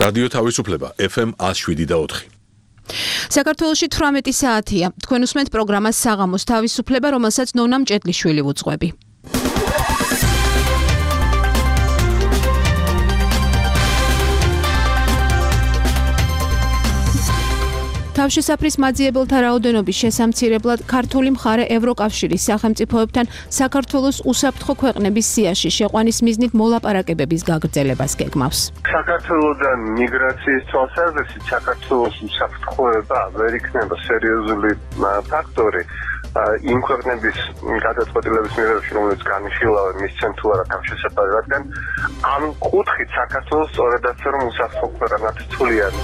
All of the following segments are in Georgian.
რადიო თავისუფლება FM 107.4. საქართველოში 18 საათია. თქვენ უსმენთ პროგრამას საღამოს თავისუფლება, რომელსაც ნონა მჭედლიშვილი უძღვები. თავშესაფრის მაძიებელთა რაოდენობის შესამცირებლად ქართული მხარე ევროკავშირის სახელმწიფოებთან საქართველოს უსაფრთხო ქვეყნების სიაში შეყვანის მიზნით მოლაპარაკებების გაგრძელებას გეგმავს. საქართველოდან მიგრაციის თვალსაზრისით საქართველოს უსაფრთხოება ვერ იქნება სერიოზული ფაქტორი იმ ქვეყნების გადაწყვეტილების მიღებაში, რომელიც განიხილავენ მისცემ თუ არა თავშესაფარი, რადგან ამ კუთხით საქართველოს სწორედაც რომ უსაფრთხო ქვეყნად თვლიან.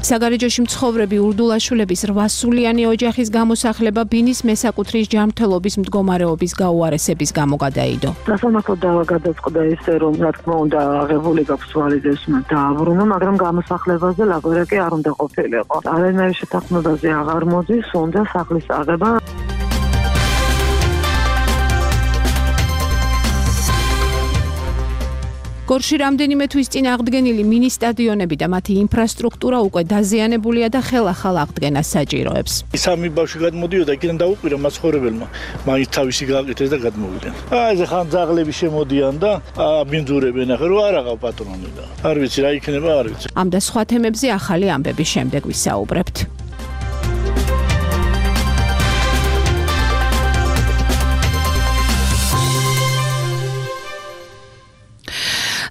საგარეჯოში მცხოვრები ურდულაშვილების 8-სულიანი ოჯახის გამოსახლება ბინის მესაკუთრის ჯანმრთელობის მდგომარეობის გაუარესების გამო გადაიდო. სასამართლო დავა გადაწყდა ისე, რომ რა თქმა უნდა აღებული გაქვს ვალიდესმა დააბრუნა, მაგრამ გამოსახლებაზე ლაბორატორია არ უნდა ყოფილიყო. არანაირი შეთანხმებაზე აღარ მოდის, უნდა სახლის აღება. გორში რამდენიმე თვის წინ აღდგენილი მინი სტადიონები და მათი ინფრასტრუქტურა უკვე დაზიანებულია და ხელახალ აღდგენას საჭიროებს. სამი ბავშვი გადმოდიოდა, იქიდან დაუკვირა მაცხოვრებელმა, მაინც თავისი გააკეთეს და გადმოვიდნენ. ეს ხან ძაღლები შემოდიან და აბინძურებენ, ახლა რო არ აღავ პატრონი და არ ვიცი რა იქნება, არ ვიცი. ამ და სხვა თემებზე ახალი ამბების შემდეგ ვისაუბრებთ.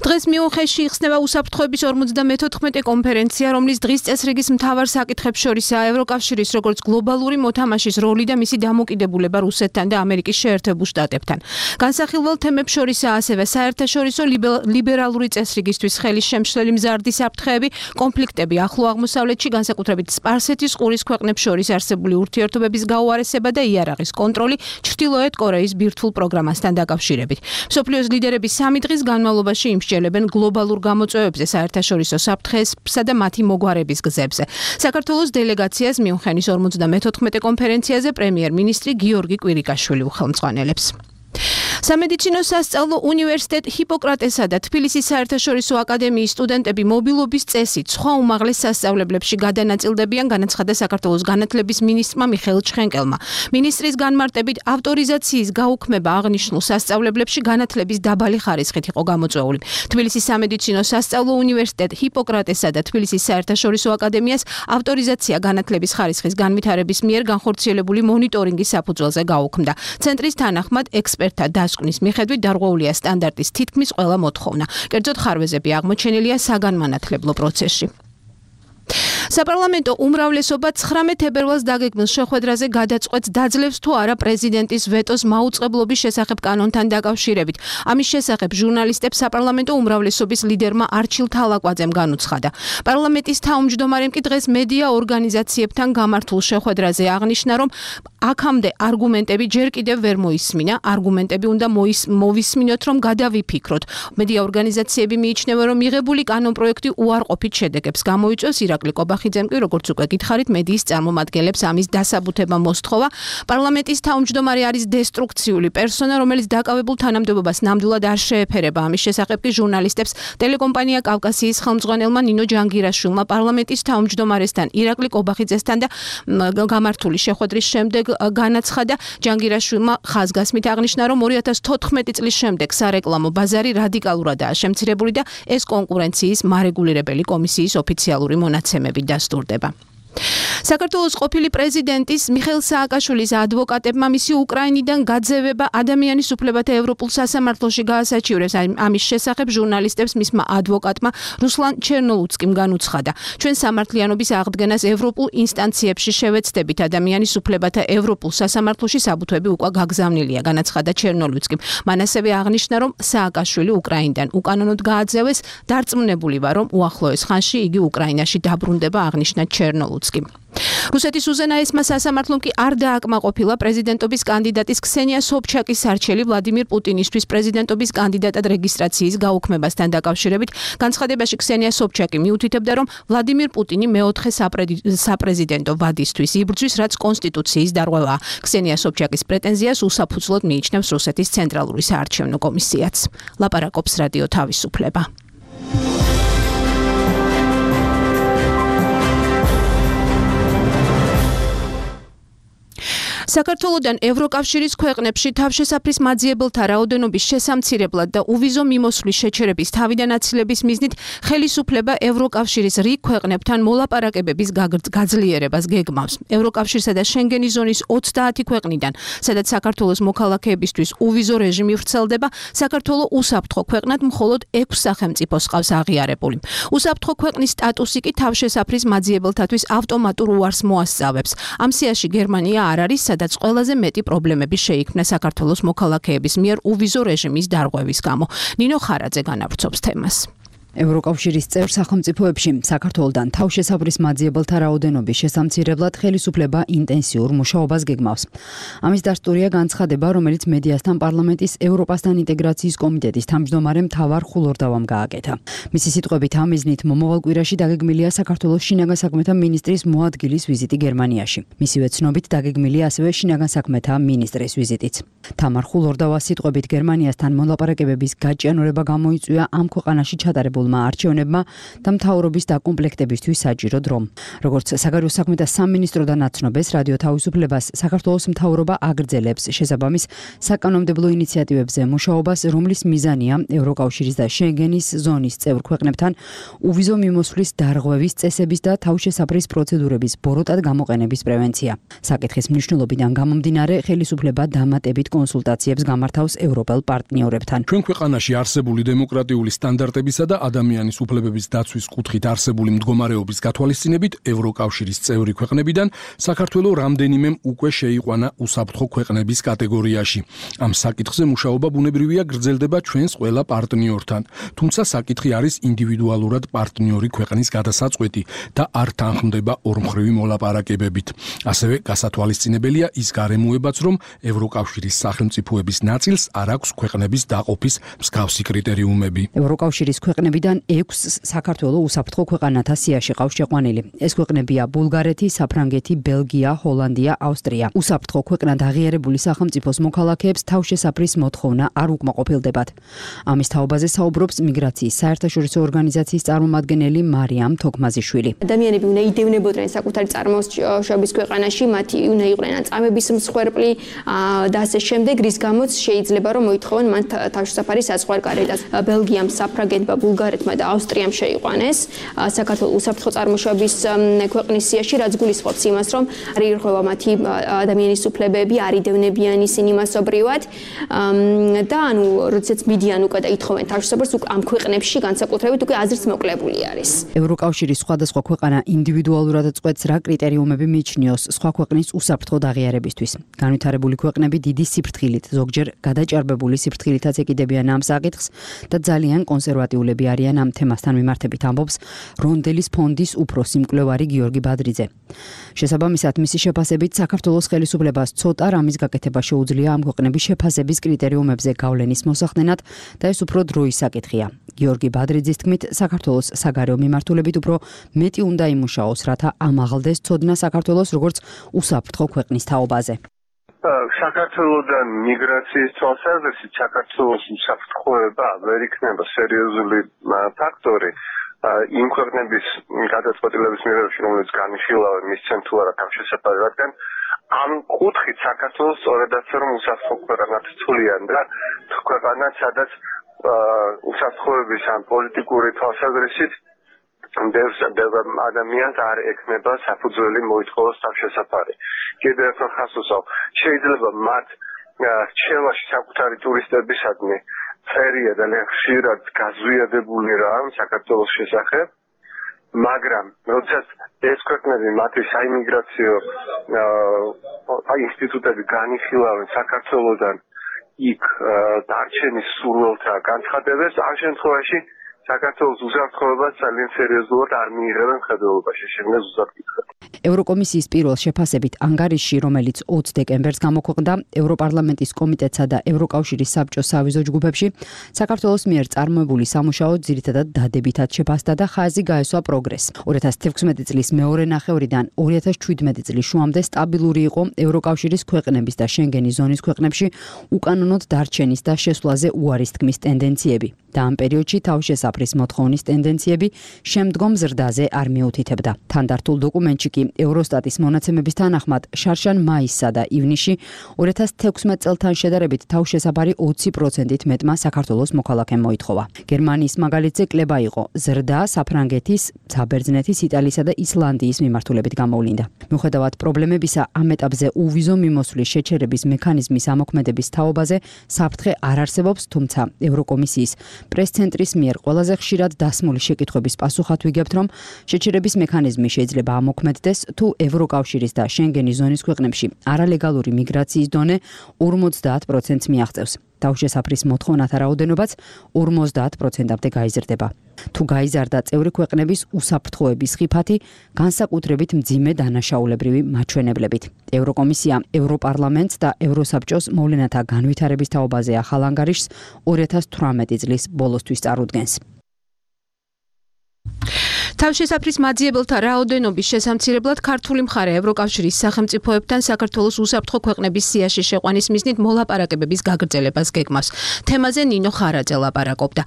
დღეს მიუნხენში იხსნება უსაფრთხოების 54 კონფერენცია, რომლის დღის წესრიგის მთავარ საკითხებს შორისაა ევროკავშირის როგორც გლობალური მოთამაშის როლი და მისი დამოკიდებულება რუსეთთან და ამერიკის შეერთებულ შტატებთან. განსახილველ თემებს შორისაა ასევე საერთაშორისო ლიბერალური წესრიგისთვის ხელის შემშლელი მზარდი საფრთხეები, კონფლიქტები ახლო აღმოსავლეთში, განსაკუთრებით სპარსეთის ყურის ქვეყნებს შორის არსებული ურთიერთობების გაუარესება და იარაღის კონტროლი ჩრდილოეთ კორეის ბირთვულ პროგრამასთან დაკავშირებით. მსოფლიოს ლიდერები 3 დღის განმავლობაში იმსჯელებენ გლობალურ გამოწვევებზე, საერთაშორისო საფრთხესა და მათი მოგვარების გზებზე. საქართველოს დელეგაციას მიუნხენის 54 კონფერენციაზე პრემიერ-მინისტრი გიორგი კვირიკაშვილი უხელმძღვანელებს. სამედიცინო სასწავლო უნივერსიტეტ ჰიპოკრატესა და თბილისის საერთაშორისო აკადემიის სტუდენტები მობილობის წესით სხვა უმაღლეს სასწავლებლებში გადანაწილდებიან, განაცხადა საქართველოს განათლების მინისტრმა მიხეილ ჩხენკელმა. მინისტრის განმარტებით ავტორიზაციის გაუქმება აღნიშნულ სასწავლებლებში განათლების დაბალი ხარისხით იყო გამოწვეული. თბილისის სამედიცინო სასწავლო უნივერსიტეტ ჰიპოკრატესა და თბილისის საერთაშორისო აკადემიას ავტორიზაცია განათლების ხარისხის განვითარების მიერ განხორციელებული მონიტორინგის საფუძველზე გაუქმდა. ცენტრის თანახმად ექსპერტთა დასკვნის მიხედვით დარღვეულია სტანდარტის თითქმის ყველა მოთხოვნა. კერძოდ ხარვეზები აღმოჩენილია საგანმანათლებლო პროცესში. საპარლამენტო უმრავლესობა 19 თებერვალს დაგეგმილ შეხვედრაზე გადაწყვეტს დაძლევს თუ არა პრეზიდენტის ვეტოს მაუწყებლობის შესახებ კანონთან დაკავშირებით. ამის შესახებ ჟურნალისტებს საპარლამენტო უმრავლესობის ლიდერმა არჩილ თალაკვაძემ განუცხადა. პარლამენტის თავმჯდომარემ კი დღეს მედია ორგანიზაციებთან გამართულ შეხვედრაზე აღნიშნა, რომ აქამდე არგუმენტები ჯერ კიდევ ვერ მოისმინა, არგუმენტები უნდა მოვისმინოთ, რომ გადავიფიქროთ. მედია ორგანიზაციები მიიჩნევენ, რომ მიღებული კანონპროექტი უარყოფით შედეგებს გამოიწვევს. ირაკლი კობახიძემ კი, როგორც უკვე გითხარით, მედიის წარმომადგენლებს ამის დასაბუთება მოსთხოვა. პარლამენტის თავმჯდომარე არის დესტრუქციული პერსონა, რომელიც დაკავებულ თანამდებობას ნამდვილად არ შეეფერება. ამის შესახებ კი ჟურნალისტებს ტელეკომპანია კავკასიის ხელმძღვანელმა ნინო ჯანგირაშვილმა პარლამენტის თავმჯდომარესთან ირაკლი კობახიძესთან და გამართული შეხვედრის შემდეგ განაცხადა. ჯანგირაშვილმა ხაზგასმით აღნიშნა, რომ 2014 წლის შემდეგ სარეკლამო ბაზარი რადიკალურადაა შემცირებული და ეს კონკურენციის მარეგულირებელი კომისიის ოფიციალური მონაცემებით დასტურდება. საქართველოს ყოფილი პრეზიდენტის მიხეილ სააკაშვილის ადვოკატებმა მისი უკრაინიდან გაძევება ადამიანის უფლებათა ევროპულ სასამართლოში გაასაჩივრეს. ამის შესახებ ჟურნალისტებს მისმა ადვოკატმა რუსლან ჩერნოლუცკიმ განუცხადა. ჩვენ სამართლიანობის აღდგენას ევროპულ ინსტანციებში შევეცდებით, ადამიანის უფლებათა ევროპულ სასამართლოში საბუთვები უკვე გაგზავნილია, განაცხადა ჩერნოლუცკიმ. მან ასევე აღნიშნა, რომ სააკაშვილი უკრაინიდან უკანონოდ გააძევეს, დარწმუნებული ვარ, რომ უახლოეს ხანში იგი უკრაინაში დაბრუნდება, აღნიშნა ჩერნოლუცკიმ. რუსეთის უზენაესმა სასამართლომ კი არ დააკმაყოფილა პრეზიდენტობის კანდიდატის ქსენია სობჩაკის არჩევი ვლადიმირ პუტინისთვის პრეზიდენტობის კანდიდატად რეგისტრაციის გაუქმებასთან დაკავშირებით. განცხადებაში ქსენია სობჩაკი მიუთითებდა, რომ ვლადიმირ პუტინი მეოთხე საპრეზიდენტო ვადისთვის იბრძვის, რაც კონსტიტუციის დარღვევაა. ქსენია სობჩაკის პრეტენზიას უსაფუძვლოდ მიიჩნევს რუსეთის ცენტრალური საარჩევნო კომისიაც. ლაპარაკობს რადიო თავისუფლება. საქართველოდან ევროკავშირის ქვეყნებში თავშესაფრის მაძიებელთა რაოდენობის შესამცირებლად და უვიზო მიმოსვლის შეჩერების თავიდან აცილების მიზნით ხელისუფლება ევროკავშირის რიგ ქვეყნებთან მოლაპარაკებების გაძლიერებას გეგმავს. ევროკავშირსა და შენგენის ზონის 30 ქვეყნიდან, სადაც საქართველოს მოქალაქეებისთვის უვიზო რეჟიმი ვრცელდება, საქართველო უსაფრთხო ქვეყნად მხოლოდ 6 სახელმწიფოს ყავს აღიარებული. უსაფრთხო ქვეყნის სტატუსი კი თავშესაფრის მაძიებელთათვის ავტომატურ უარს მოასწავებს. ამ სიაში გერმანია არ არის, სადაც ყველაზე მეტი პრობლემები შეიქმნა საქართველოს მოქალაქეების მიერ უვიზო რეჟიმის დარღვევის გამო. ნინო ხარაძე განავრცობს თემას. ევროკავშირის წევრ სახელმწიფოებში საქართველოდან თავშესაფრის მაძიებელთა რაოდენობის შესამცირებლად ხელისუფლება ინტენსიურ მუშაობას გეგმავს. ამის დასტურია განცხადება, რომელიც მედიასთან პარლამენტის ევროპასთან ინტეგრაციის კომიტეტის თავმჯდომარემ თავარ ხულორდავამ გააკეთა. მისი სიტყვებით ამ მიზნით მომავალ კვირაში დაგეგმილია საქართველოს შინაგან საქმეთა მინისტრის მოადგილის ვიზიტი გერმანიაში. მისივე ცნობით დაგეგმილია ასევე შინაგან საქმეთა მინისტრის ვიზიტიც. თამარ ხულორდავას სიტყვებით გერმანიასთან მოლაპარაკებების გაჭიანურება გამოიწვია ამ ქვეყანაში ჩატარებულ არჩევნებმა და მთავრობის დაკომპლექტებისთვის საჭირო დრო. როგორც საგარეო საქმეთა სამინისტროდან აცნობეს რადიო თავისუფლებას, საქართველოს მთავრობა აგრძელებს შესაბამის საკანონმდებლო ინიციატივებზე მუშაობას, რომლის მიზანია ევროკავშირის და შენგენის ზონის წევრ ქვეყნებთან უვიზო მიმოსვლის დარღვევის წესების და თავშესაფრის პროცედურების ბოროტად გამოყენების პრევენცია. საკითხის მნიშვნელობიდან გამომდინარე, ხელისუფლება დამატებით კონსულტაციებს გამართავს ევროპელ პარტნიორებთან. ჩვენ ქვეყანაში არსებული დემოკრატიული სტანდარტებისა და ადამიანის უფლებების დაცვის კუთხით არსებული მდგომარეობის გათვალისწინებით ევროკავშირის წევრი ქვეყნებიდან საქართველოს რამდენიმემ უკვე შეიყვანა უსაფრთხო ქვეყნების კატეგორიაში. ამ საკითხზე მუშაობა ბუნებრივია გრძელდება ჩვენს ყველა პარტნიორთან, თუმცა საკითხი არის ინდივიდუალურად პარტნიორი ქვეყნის გადასაწყვეტი და არ თანხმდება ორმხრივი მოლაპარაკებებით. ასევე გასათვალისწინებელია ის გარემოებაც, რომ ევროკავშირის სახელმწიფოების ნაწილს არ აქვს ქვეყნების დაყოფის მსგავსი კრიტერიუმები. ევროკავშირის ქვეყნებიდან 6 საქართველოს უსაფრთხო ქვეყანათა სიაში ყავს შეყვანილი. ეს ქვეყნებია ბულგარეთი, საფრანგეთი, ბელგია, ჰოლანდია, ავსტრია. უსაფრთხო ქვეყნად აღიარებული სახელმწიფოს მოქალაქეებს თავშესაფრის მოთხოვნა არ უკმაყოფილდებათ. ამის თაობაზე საუბრობს მიგრაციის საერთაშორისო ორგანიზაციის წარმომადგენელი მარიამ თოქმაზიშვილი. ადამიანები უნდა იდევნებოდნენ საკუთარი წარმოშობის ქვეყანაში, მათი უნდა იყვნენ წამების მსხვერპლი და ასე შემდეგ, რის გამოც შეიძლება რომ მოითხოვენ მან თავშესაფრის საზღვარგარეთაც. ბელგიამ, საფრანგეთმა, ბულგარეთმა და ავსტრიამ შეიყვანეს საქართველოს უსაფრთხო წარმოშობის ქვეყნის სიაში, რაც გულისხმობს იმას, რომ არ ირღვევა მათი ადამიანის უფლებები, არ იდევნებიან ისინი მასობრივად და ანუ როდესაც მიდიან უკვე და ითხოვენ თავშესაფრს, ამ ქვეყნებში განსაკუთრებით უკვე აზრს მოკლებული არის. ევროკავშირის სხვადასხვა ქვეყანა ინდივიდუალურად წყვეტს რა კრიტერიუმები მიიჩნიოს სხვა ქვეყნის უსაფრთხოდ აღიარებისთვის. განვითარებული ქვეყნები დიდი სიფრთხილით, ზოგჯერ გადაჭარბებული სიფრთხილითაც ეკიდებიან ამ საკითხს და ძალიან კონსერვატიულები არიან ამ თემასთან მიმართებით, ამბობს რონდელის ფონდის უფროსი მკვლევარი გიორგი ბადრიძე. შესაბამისად, მისი შეფასებით საქართველოს ხელისუფლებას ცოტა რამის გაკეთება შეუძლია ამ ქვეყნების შეფასების კრიტერიუმებზე გავლენის მოსახდენად და ეს უფრო დროის საკითხია. გიორგი ბადრიძის თქმით, საქართველოს საგარეო მიმართულებით უფრო მეტი უნდა იმუშაოს, რათა ამაღლდეს ცოდნა საქართველოს როგორც უსაფრთხო ქვეყნის თაობაზე. საქართველოდან მიგრაციის თვალსაზრისით საქართველოს უსაფრთხოება ვერ იქნება სერიოზული ფაქტორი იმ ქვეყნების გადაწყვეტილების მიღებაში, რომელიც განიხილავენ მისცენ თუ არა თავშესაფარი, რადგან ამ კუთხით საქართველოს სწორედაც რომ უსაფრთხო ქვეყანად თვლიან და ქვეყანად, სადაც უსაფრთხოების ან პოლიტიკური თვალსაზრისით ბევრ ადამიანს არ ექნება საფუძველი მოითხოვოს თავშესაფარი. კიდევ ერთხელ ხაზს უსვამ, შეიძლება მათ რჩევაში საკუთარი ტურისტებისადმი ფერია ძალიან ხშირად გაზვიადებული რამ საქართველოს შესახებ, მაგრამ როდესაც ეს ქვეყნები მათი საიმიგრაციო ინსტიტუტები განიხილავენ საქართველოსთან იქ დარჩენის სურვილთა განცხადებას, ამ შემთხვევაში საქართველოს უსაფრთხოებას ძალიან სერიოზულად არ მიიღებენ მხედველობაში. შეგნეს უსაფრთხო. ევროკომისიის პირველ შეფასებით ანგარიშში, რომელიც 20 დეკემბერს გამოქვეყნდა ევროპარლამენტის კომიტეტსა და ევროკავშირის საბჭოს სავიზო ჯგუფებში, საქართველოს მიერ წარმოებული სამუშაო ძირითადად დადებითად შეფასდა და ხაზი გაესვა პროგრესს. 2016 წლის მეორე ნახევრიდან 2017 წლის შუამდე სტაბილური იყო ევროკავშირის ქვეყნების და შენგენის ზონის ქვეყნებში უკანონოდ დარჩენის და შესვლაზე უარის თქმის ტენდენციები და ამ პერიოდში თავშესაფრის მოთხოვნის ტენდენციები შემდგომ ზრდაზე არ მიუთითებდა. თანდართულ დოკუმენტში კი ევროსტატის მონაცემების თანახმად შარშან მაისსა და ივნისში 2016 წელთან შედარებით თავშესაფარი 20%-ით მეტმა საქართველოს მოქალაქემ მოითხოვა. გერმანიის მაგალითზე კლება იყო ზრდა საფრანგეთის, საბერძნეთის, იტალიისა და ისლანდიის მიმართულებით გამოვლინდა. მიუხედავად პრობლემებისა, ამ ეტაპზე უვიზო მიმოსვლის შეჩერების მექანიზმის ამოქმედების თაობაზე საფრთხე არ არსებობს, თუმცა ევროკომისიის პრეს-ცენტრის მიერ ყველაზე ხშირად დასმული შეკითხვების პასუხად ვიგებთ, რომ შეჩერების მექანიზმი შეიძლება ამოქმედდეს, თუ ევროკავშირის და შენგენის ზონის ქვეყნებში არალეგალური მიგრაციის დონე 50%-ს მიაღწევს. თავშესაფრის მოთხოვნათა რაოდენობაც 50%-მდე გაიზრდება. თუ გაიზარდა წევრი ქვეყნების უსაფრთხოების ხიფათი, განსაკუთრებით მძიმე დანაშაულებრივი მაჩვენებლებით. ევროკომისია ევროპარლამენტს და ევროსაბჭოს მოვლენათა განვითარების თაობაზე ახალ ანგარიშს 2018 წლის ბოლოსთვის წარუდგენს. თავშესაფრის მაძიებელთა რაოდენობის შესამცირებლად ქართული მხარე ევროკავშირის სახელმწიფოებთან საქართველოს უსაფრთხო ქვეყნების სიაში შეყვანის მიზნით მოლაპარაკებების გაგრძელებას გეგმავს. თემაზე ნინო ხარაძე ლაპარაკობდა.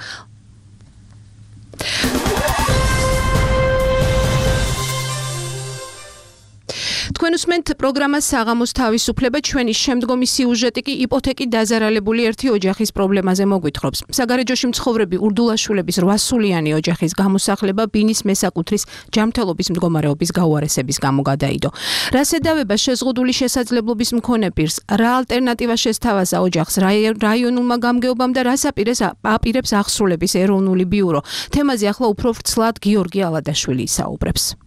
თქვენ უსმენთ პროგრამას საღამოს თავისუფლება, ჩვენი შემდგომი სიუჟეტი კი იპოთეკით დაზარალებული ერთი ოჯახის პრობლემაზე მოგვითხრობს. საგარეჯოში მცხოვრები ურდულაშვილების 8-სულიანი ოჯახის გამოსახლება ბინის მესაკუთრის ჯანმრთელობის მდგომარეობის გაუარესების გამო გადაიდო. რა შედავება შეზღუდული შესაძლებლობის მქონე პირს, რა ალტერნატივა შესთავაზა ოჯახს რაიონულმა გამგეობამ და რას აპირებს აღსრულების ეროვნული ბიურო. თემაზე ახლა უფრო ვრცლად გიორგი ალადაშვილი ისაუბრებს.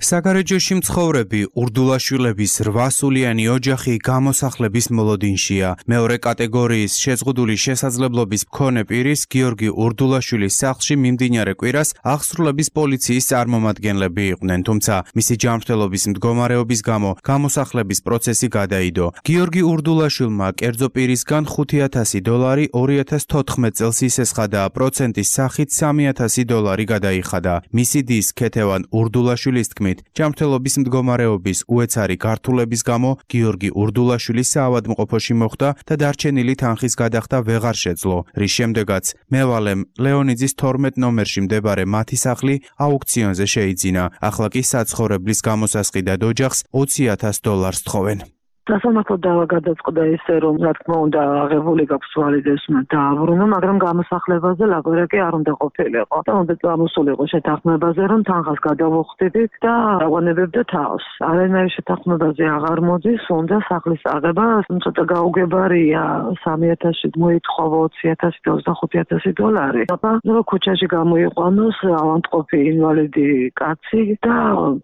საგარეჯოში მცხოვრები ურდულაშვილების 8-სულიანი ოჯახი გამოსახლების მოლოდინშია. მეორე კატეგორიის შეზღუდული შესაძლებლობის მქონე პირის გიორგი ურდულაშვილის სახლში მიმდინარე კვირას აღსრულების პოლიციის წარმომადგენლები იყვნენ, თუმცა მისი ჯანმრთელობის მდგომარეობის გამო გამოსახლების პროცესი გადაიდო. გიორგი ურდულაშვილმა კერძო პირისგან $5,000 2014 წელს ისესხადა, პროცენტის სახით $3,000 გადაიხადა. მისი დის ქეთევან ურდულაშვილის თქმით, ჯანმრთელობის მდგომარეობის უეცარი გართულების გამო გიორგი ურდულაშვილი საავადმყოფოში მოხვდა და დარჩენილი თანხის გადახდა ვეღარ შეძლო, რის შემდეგაც მევალემ ლეონიძის 12 ნომერში მდებარე მათი სახლი აუქციონზე შეიძინა. ახლა კი საცხოვრებლის გამოსასყიდად ოჯახს $20,000 თხოვენ. სასამართლო დავა გადაწყდა ისე, რომ რა თქმა უნდა აღებული გაქვს ვალიდეს დააბრუნა, მაგრამ გამოსახლებაზე ლაბორაკი არ უნდა ყოფილიყო. და უნდა წამოსულიყო შეთანხმებაზე, რომ თანხას გადავუხდით და აღვანებებდა თავს. არანაირი შეთანხმებაზე აღარ მოდის, უნდა სახლის აღება, ცოტა გაუგებარია, $3,000 მოითხოვა $20,000 და აბა ქუჩაში გამოიყვანოს ავადმყოფი ინვალიდი კაცი და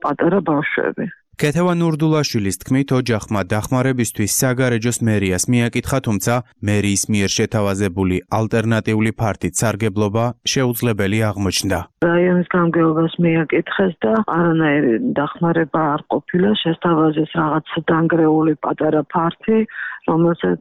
პატარა ბავშვები. ქეთევან ურდულაშვილის თქმით, ოჯახმა დახმარებისთვის საგარეჯოს მერიას მიაკითხა, თუმცა მერიის მიერ შეთავაზებული ალტერნატიული ფართით სარგებლობა შეუძლებელი აღმოჩნდა. რაიონის გამგეობას მიაკითხეს და არანაირი დახმარება არ ყოფილა, შესთავაზეს რაღაც დანგრეული პატარა ფართი, რომელსაც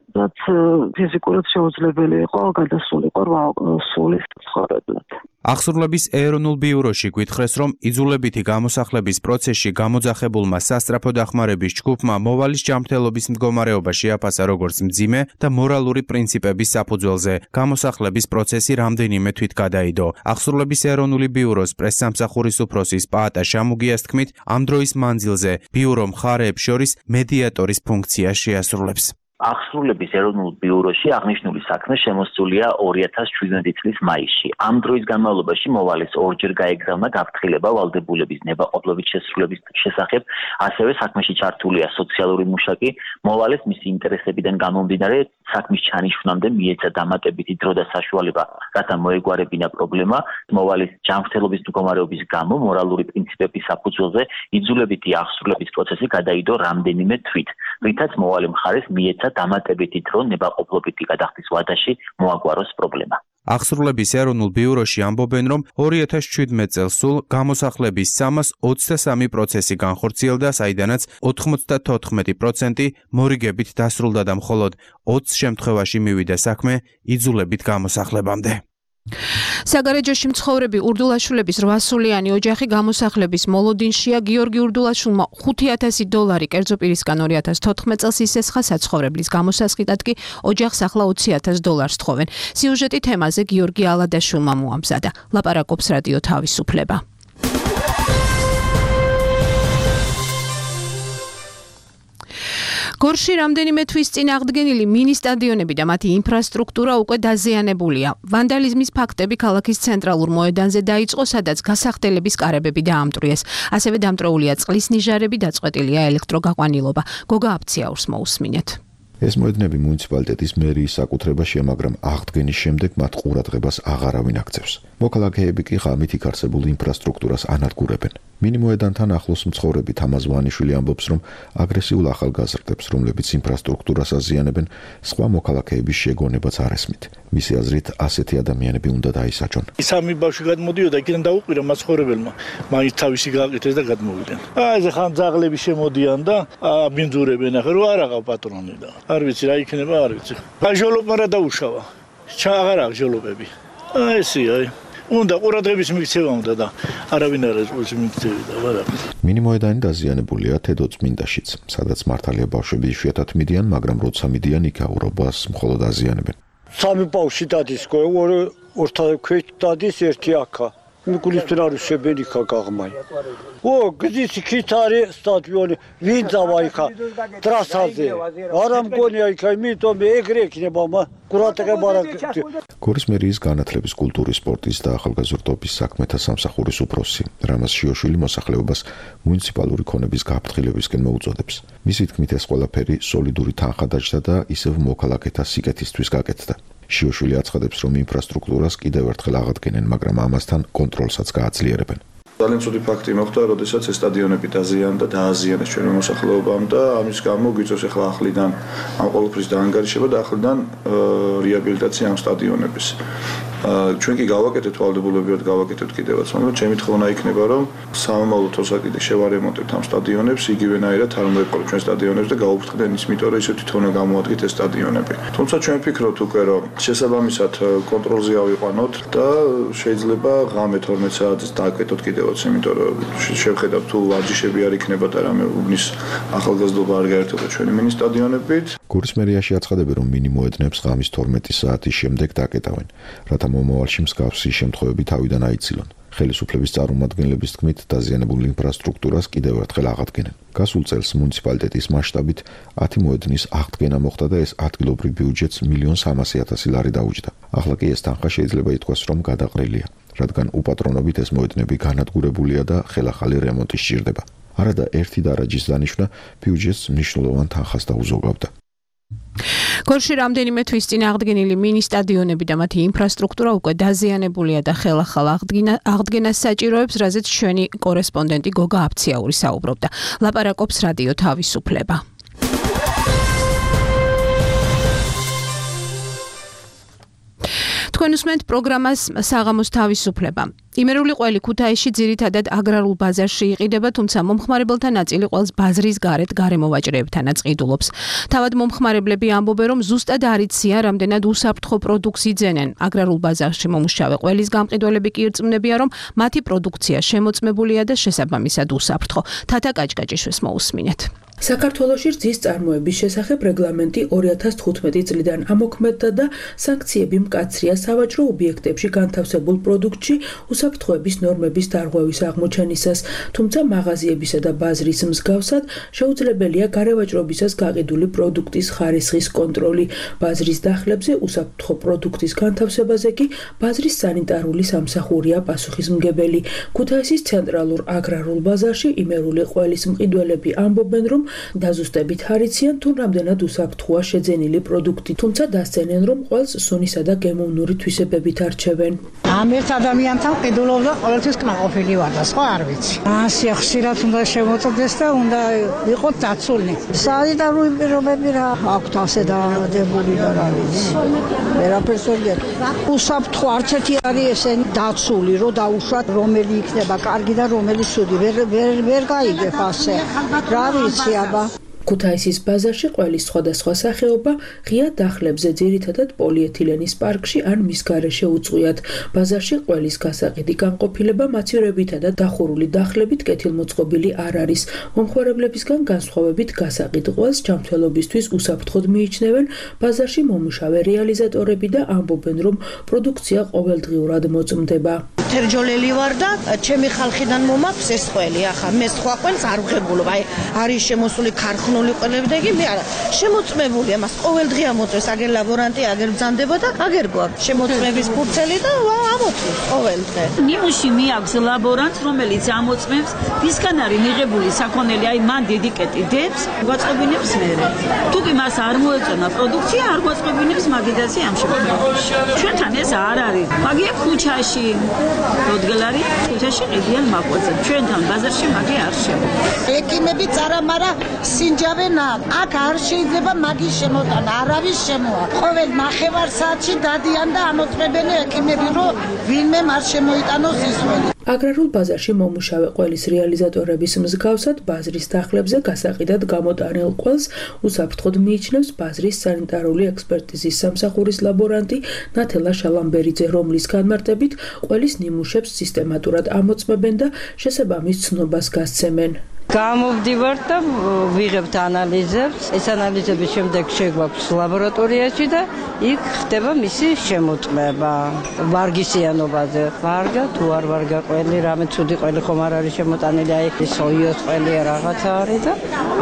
ფიზიკურად შეუძლებელი იყო გადასულიყო 8 სულის ცხოვრებლად. აღსრულების ეროვნულ ბიუროში გვითხრეს, რომ იძულებითი გამოსახლების პროცესში გამოძახებულმა სასწრაფო დახმარების ჯგუფმა მოვალის ჯანმრთელობის მდგომარეობა შეაფასა როგორც მძიმე და მორალური პრინციპების საფუძველზე. გამოსახლების პროცესი რამდენიმე თვით გადაიდო. აღსრულების ეროვნული ბიუროს პრესსამსახურის უფროსის პაატა შამუგიას თქმით, ამ დროის მანძილზე ბიურო მხარეებს შორის მედიატორის ფუნქცია შეასრულებს. აღსრულების ეროვნულ ბიუროში აღნიშნული საქმე შემოსულია 2017 წლის მაისში. ამ დროის განმავლობაში მოვალეს ორჯერ გაეგზავნა გაფრთხილება ვალდებულების ნებაყოფლობით შესრულების შესახებ, ასევე საქმეში ჩართულია სოციალური მუშაკი, მოვალეს მისი ინტერესებიდან გამომდინარე საქმის ჩანიშვნამდე მიეცა დამატებითი დრო და საშუალება, რათა მოეგვარებინა პრობლემა. მოვალის ჯანმრთელობის მდგომარეობის გამო მორალური პრინციპების საფუძველზე იძულებითი აღსრულების პროცესი გადაიდო რამდენიმე თვით, რითაც მოვალე მხარეს მიეცა დამატებითი დრო ნებაყოფლობითი გადახდის ვადაში მოაგვაროს პრობლემა. აღსრულების ეროვნულ ბიუროში ამბობენ, რომ 2017 წელს სულ გამოსახლების 323 პროცესი განხორციელდა, საიდანაც 94% მორიგებით დასრულდა და მხოლოდ 20 შემთხვევაში მივიდა საქმე იძულებით გამოსახლებამდე. საგარეჯოში მცხოვრები ურდულაშვილების 800-იანი ოჯახი გამოსახლების მოლოდინშია. გიორგი ურდულაშვილმა $5,000 კერძო პირისგან 2014 წელს ისესხა საცხოვრებლის გამოსასყიდად კი ოჯახს ახლა $20,000 თხოვენ. სიუჟეტი თემაზე გიორგი ალადაშვილმა მოამზადა. ლაპარაკობს რადიო თავისუფლება. გორში რამდენიმე თვის წინ აღდგენილი მინი სტადიონები და მათი ინფრასტრუქტურა უკვე დაზიანებულია. ვანდალიზმის ფაქტები ქალაქის ცენტრალურ მოედანზე დაიწყო, სადაც გასახდელების კარებები დაამტვრიეს. ასევე დამტვრეულია წყლის ნიჟარები, დაწყვეტილია ელექტროგაყვანილობა. გოგა აფციაურს მოусმინეთ. ეს მოედნები მუნიციპალიტეტის მერიის საკუთრებაშია, მაგრამ აღდგენის შემდეგ მათ ყურადღებას აღარავინ აქცევს. მოქალაქეები კი ღამით იქ არსებულ ინფრასტრუქტურას ანადგურებენ. მინი მოედანთან ახლოს მცხოვრები თამაზ ვანიშვილი ამბობს, რომ აგრესიულ ახალგაზრდებს, რომლებიც ინფრასტრუქტურას აზიანებენ, სხვა მოქალაქეების შეგონებაც არ ესმით. მისი აზრით, ასეთი ადამიანები უნდა დაისაჯონ. სამი ბავშვი გადმოდიოდა, იქიდან დაუყირა მაცხოვრებელმა, მაინც თავისი გააკეთეს და გადმოვიდნენ. ეს ხან ძაღლები შემოდიან და ბინძურებენ, ახლა რო არ აღავ პატრონი და არ ვიცი რა იქნება, არ ვიცი. ჟოლობმა რა დაუშავა. აღარ აქვს ჟოლობები. ესეა. უნდა ყურადღების მიქცევა უნდა და არავინ არ არის მიქცევი და ვარა. მინი მოედანი დაზიანებულია თედო წმინდაშიც, სადაც მართალია ბავშვები იშვიათად მიდიან, მაგრამ როცა მიდიან იქ აურობას მხოლოდ აზიანებენ. სამი ბავშვი დადის, ორთა ქვეშ დადის, ერთი აქა. მიგულისთან არის შებენიკა გაღმაი. გზის იქით არის სტადიონი, ვინ დავა იქა ტრასაზე. არა მგონია იქა, იმიტომ ეგრე იქნება, ყურადღება არ აქვს. გორის მერიის განათლების, კულტურის, სპორტის და ახალგაზრდობის საქმეთა სამსახურის უფროსი რამაზ შიოშვილი მოსახლეობას მუნიციპალური ქონების გაფრთხილებისკენ მოუწოდებს. მისი თქმით, ეს ყველაფერი სოლიდური თანხა დაჯდა და ისევ მოქალაქეთა სიკეთისთვის გაკეთდა. შიოშვილი აცხადებს, რომ ინფრასტრუქტურას კიდევ ერთხელ აღადგენენ, მაგრამ ამასთან კონტროლსაც გააძლიერებენ. ძალიან ცუდი ფაქტი მოხდა, როდესაც ეს სტადიონები დაზიანდა, დააზიანეს ჩვენი მოსახლეობამ და ამის გამო გვიწევს ახლა ახლიდან ამ ყოველფრის დაანგარიშება და ახლიდან რეაბილიტაცია ამ სტადიონების. ჩვენ კი გავაკეთეთ ვალდებულებრივად გავაკეთეთ კიდევაც, მაგრამ ჩემი თხოვნა იქნება, რომ სამომავლო თვალსა კიდე შევარემონტებთ ამ სტადიონებს, იგივენაირად არ უნდა იყოს ჩვენ სტადიონებს და გაუფრთხდნენ ის, იმიტომ რომ ისეთი თხოვნა გამოადგეთ ეს სტადიონები. თუმცა ჩვენ ვფიქრობთ უკვე, რომ შესაბამისად კონტროლზე ავიყვანოთ და შეიძლება ღამე 12 საათს დააკეთოთ კიდევაც, იმიტომ რომ შევხედავთ თუ ვარჯიშები არ იქნება და რამე უბნის ახალგაზრდობა არ გაერთობა ჩვენი მინი სტადიონებით. გორის მერიაში აცხადებენ, რომ მინი მოედნებს ღამის 12 საათის შემდეგ დაკეტავენ, რათა მომავალში მსგავსი შემთხვევები თავიდან აიცილონ. ხელისუფლების წარმომადგენლების თქმით, დაზიანებულ ინფრასტრუქტურას კიდევ ერთხელ აღადგენენ. გასულ წელს მუნიციპალიტეტის მასშტაბით 10 მოედნის აღდგენა მოხდა და ეს ადგილობრივ ბიუჯეტს $1,300,000 დაუჯდა. ახლა კი ეს თანხა შეიძლება ითქვას, რომ გადაყრილია, რადგან უპატრონობით ეს მოედნები განადგურებულია და ხელახალი რემონტი სჭირდება. არადა ერთი დარაჯის დანიშვნა ბიუჯეტს მნიშვნელოვან თანხას დაუზოგავდა. გორში რამდენიმე თვის წინ აღდგენილი მინი სტადიონები და მათი ინფრასტრუქტურა უკვე დაზიანებულია და ხელახალ აღდგენას საჭიროებს, რაზეც ჩვენი კორესპონდენტი გოგა აფციაური საუბრობდა. ლაპარაკობს რადიო თავისუფლება. თქვენ უსმენთ პროგრამას საღამოს თავისუფლება. იმერული ყველი ქუთაისში ძირითადად აგრარულ ბაზარში იყიდება, თუმცა მომხმარებელთა ნაწილი ყველს ბაზრის გარეთ გარემოვაჭრეებთანაც ყიდულობს. თავად მომხმარებლები ამბობენ, რომ ზუსტად არ იციან, რამდენად უსაფრთხო პროდუქტს იძენენ. აგრარულ ბაზარში მომუშავე ყველის გამყიდველები კი ირწმუნებიან, რომ მათი პროდუქცია შემოწმებულია და შესაბამისად უსაფრთხო. თათა კაჭკაჭიშვილს მოусმინეთ. საქართველოში რძის წარმოების შესახებ რეგლამენტი 2015 წლიდან ამოქმედდა და სანქციები მკაცრია სავაჭრო ობიექტებში განთავსებულ პროდუქტში უსაფრთხოების ნორმების დარღვევის აღმოჩენისას, თუმცა მაღაზიებისა და ბაზრის მსგავსად შეუძლებელია გარევაჭრობისას გაყიდული პროდუქტის ხარისხის კონტროლი. ბაზრის დახლებზე უსაფრთხო პროდუქტის განთავსებაზე კი ბაზრის სანიტარული სამსახურია პასუხისმგებელი. ქუთაისის ცენტრალურ აგრარულ ბაზარში იმერული ყველის მყიდველები ამბობენ, რომ დაზუსტებით არიციან თუ რამდენად უსაფრთხოა შეძენილი პროდუქტი, თუმცა დასცენენ, რომ ყველს სუნისა და გემოვნური თვისებებით არჩევენ. ამ ერთ ადამიანთან ყიდულობდა ყოველთვის კმაყოფილი ვარ და სხვა არ ვიცი. ასე ხშირად უნდა შემოწდეს და უნდა იყოთ დაცული. სანიტარული პირობები რა აქვთ ასე დაავადებული და რა ვიცი. ვერაფერს ვერ გეტყვი. უსაფრთხო არც ერთი არის ესენი დაცული, რომ დაუშვათ რომელი იქნება კარგი და რომელი ცუდი. ვერ გაიგებ ასე. რა ვიცი აბა. ქუთაისის ბაზარში ყველის სხვადასხვა სახეობა ღია დახლებზე, ძირითადად პოლიეთილენის პარკში ან მის გარეშე უწყვიათ. ბაზარში ყველის გასაყიდი განყოფილება მაცივრებითა და დახურული დახლებით კეთილმოწყობილი არ არის. მომხმარებლებისგან განსხვავებით გასაყიდ ყველს ჯანმრთელობისთვის უსაფრთხოდ მიიჩნევენ ბაზარში მომუშავე რეალიზატორები და ამბობენ, რომ პროდუქცია ყოველდღიურად მოწმდება. თერჯოლელი ვარ და ჩემი ხალხიდან მომაქვს ეს ყველი. ახლა მე სხვა ყველს არ ვღებულობ. აი არის შემოსული ქარხნული ყველები და იგი მე არა შემოწმებული ამას ყოველდღე ამოწმეს, აგერ ლაბორანტი, აგერ ბრძანდება და აგერ გვაქვს შემოწმების ფურცელი და ამოწმეს ყოველდღე. ნიმუში მიაქვს ლაბორანტს, რომელიც ამოწმებს, ვისგან არის მიღებული საქონელი, აი მან დედიკეტი დებს, გვაწყობინებს მერე. თუ კი მას არ მოეწონა პროდუქცია, არ გვაწყობინებს მაგიდაზე ამ შემთხვევაში. ჩვენთან ეს არ არის. მაგია ქუჩაში როდგელარი ქუჩაში ყიდიან მაკვეთზე. ჩვენთან ბაზარში მაგი არ შემოვა. ეკიმები წარამარა სინჯავენ აქ არ შეიძლება მაგის შემოტანა, არავის შემოა. ყოველ ნახევარ საათში დადიან და ამოწმებენ ეკიმები, რომ ვინმე არ შემოიტანოს ის ყველი. აგრარულ ბაზარში მომუშავე ყველის რეალიზატორების მსგავსად ბაზრის დახლებზე გასაყიდად გამოტანილ ყველს უსაფრთხოდ მიიჩნევს ბაზრის სანიტარული ექსპერტიზის სამსახურის ლაბორანტი ნათელა შალამბერიძე, რომლის განმარტებით ყველის ნიმუშებს სისტემატურად ამოწმებენ და შესაბამის ცნობას გასცემენ. გამოვდივართ და ვიღებთ ანალიზებს. ეს ანალიზების შემდეგ შეგვაქვს ლაბორატორიაში და იქ ხდება მისი შემოწმება. ვარგისიანობაზე. ვარგა თუ არ ვარგა ყველი, რამე ცუდი ყველი ხომ არ არის შემოტანილი, აი სოიოს ყველი რაღაცა არის და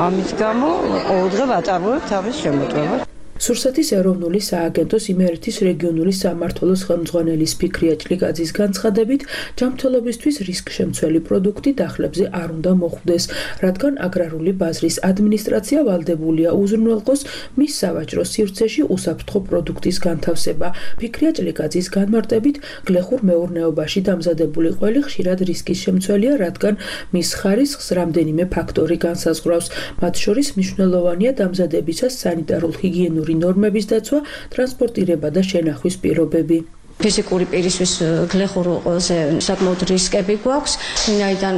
ამის გამო ყოველდღე ვაწარმოებთ თავის შემოწმებას. სურსათის ეროვნული სააგენტოს იმერეთის რეგიონული სამმართველოს ხელმძღვანელის ფიქრია ჭლიკაძის განცხადებით, ჯანმრთელობისთვის რისკშემცველი პროდუქტი დახლებზე არ უნდა მოხვდეს, რადგან აგრარული ბაზრის ადმინისტრაცია ვალდებულია უზრუნველყოს მის სავაჭრო სივრცეში უსაფრთხო პროდუქტის განთავსება. ფიქრია ჭლიკაძის განმარტებით, გლეხურ მეურნეობაში დამზადებული ყველი ხშირად რისკის შემცველია, რადგან მის ხარისხს რამდენიმე ფაქტორი განსაზღვრავს. მათ შორის მნიშვნელოვანია დამზადებისას სანიტარულ-ჰიგიენური ნორმების დაცვა, ტრანსპორტირება და შენახვის პირობები. ფიზიკური პირისთვის გლეხურ ყველაზე საკმაოდ რისკები გვაქვს, ვინაიდან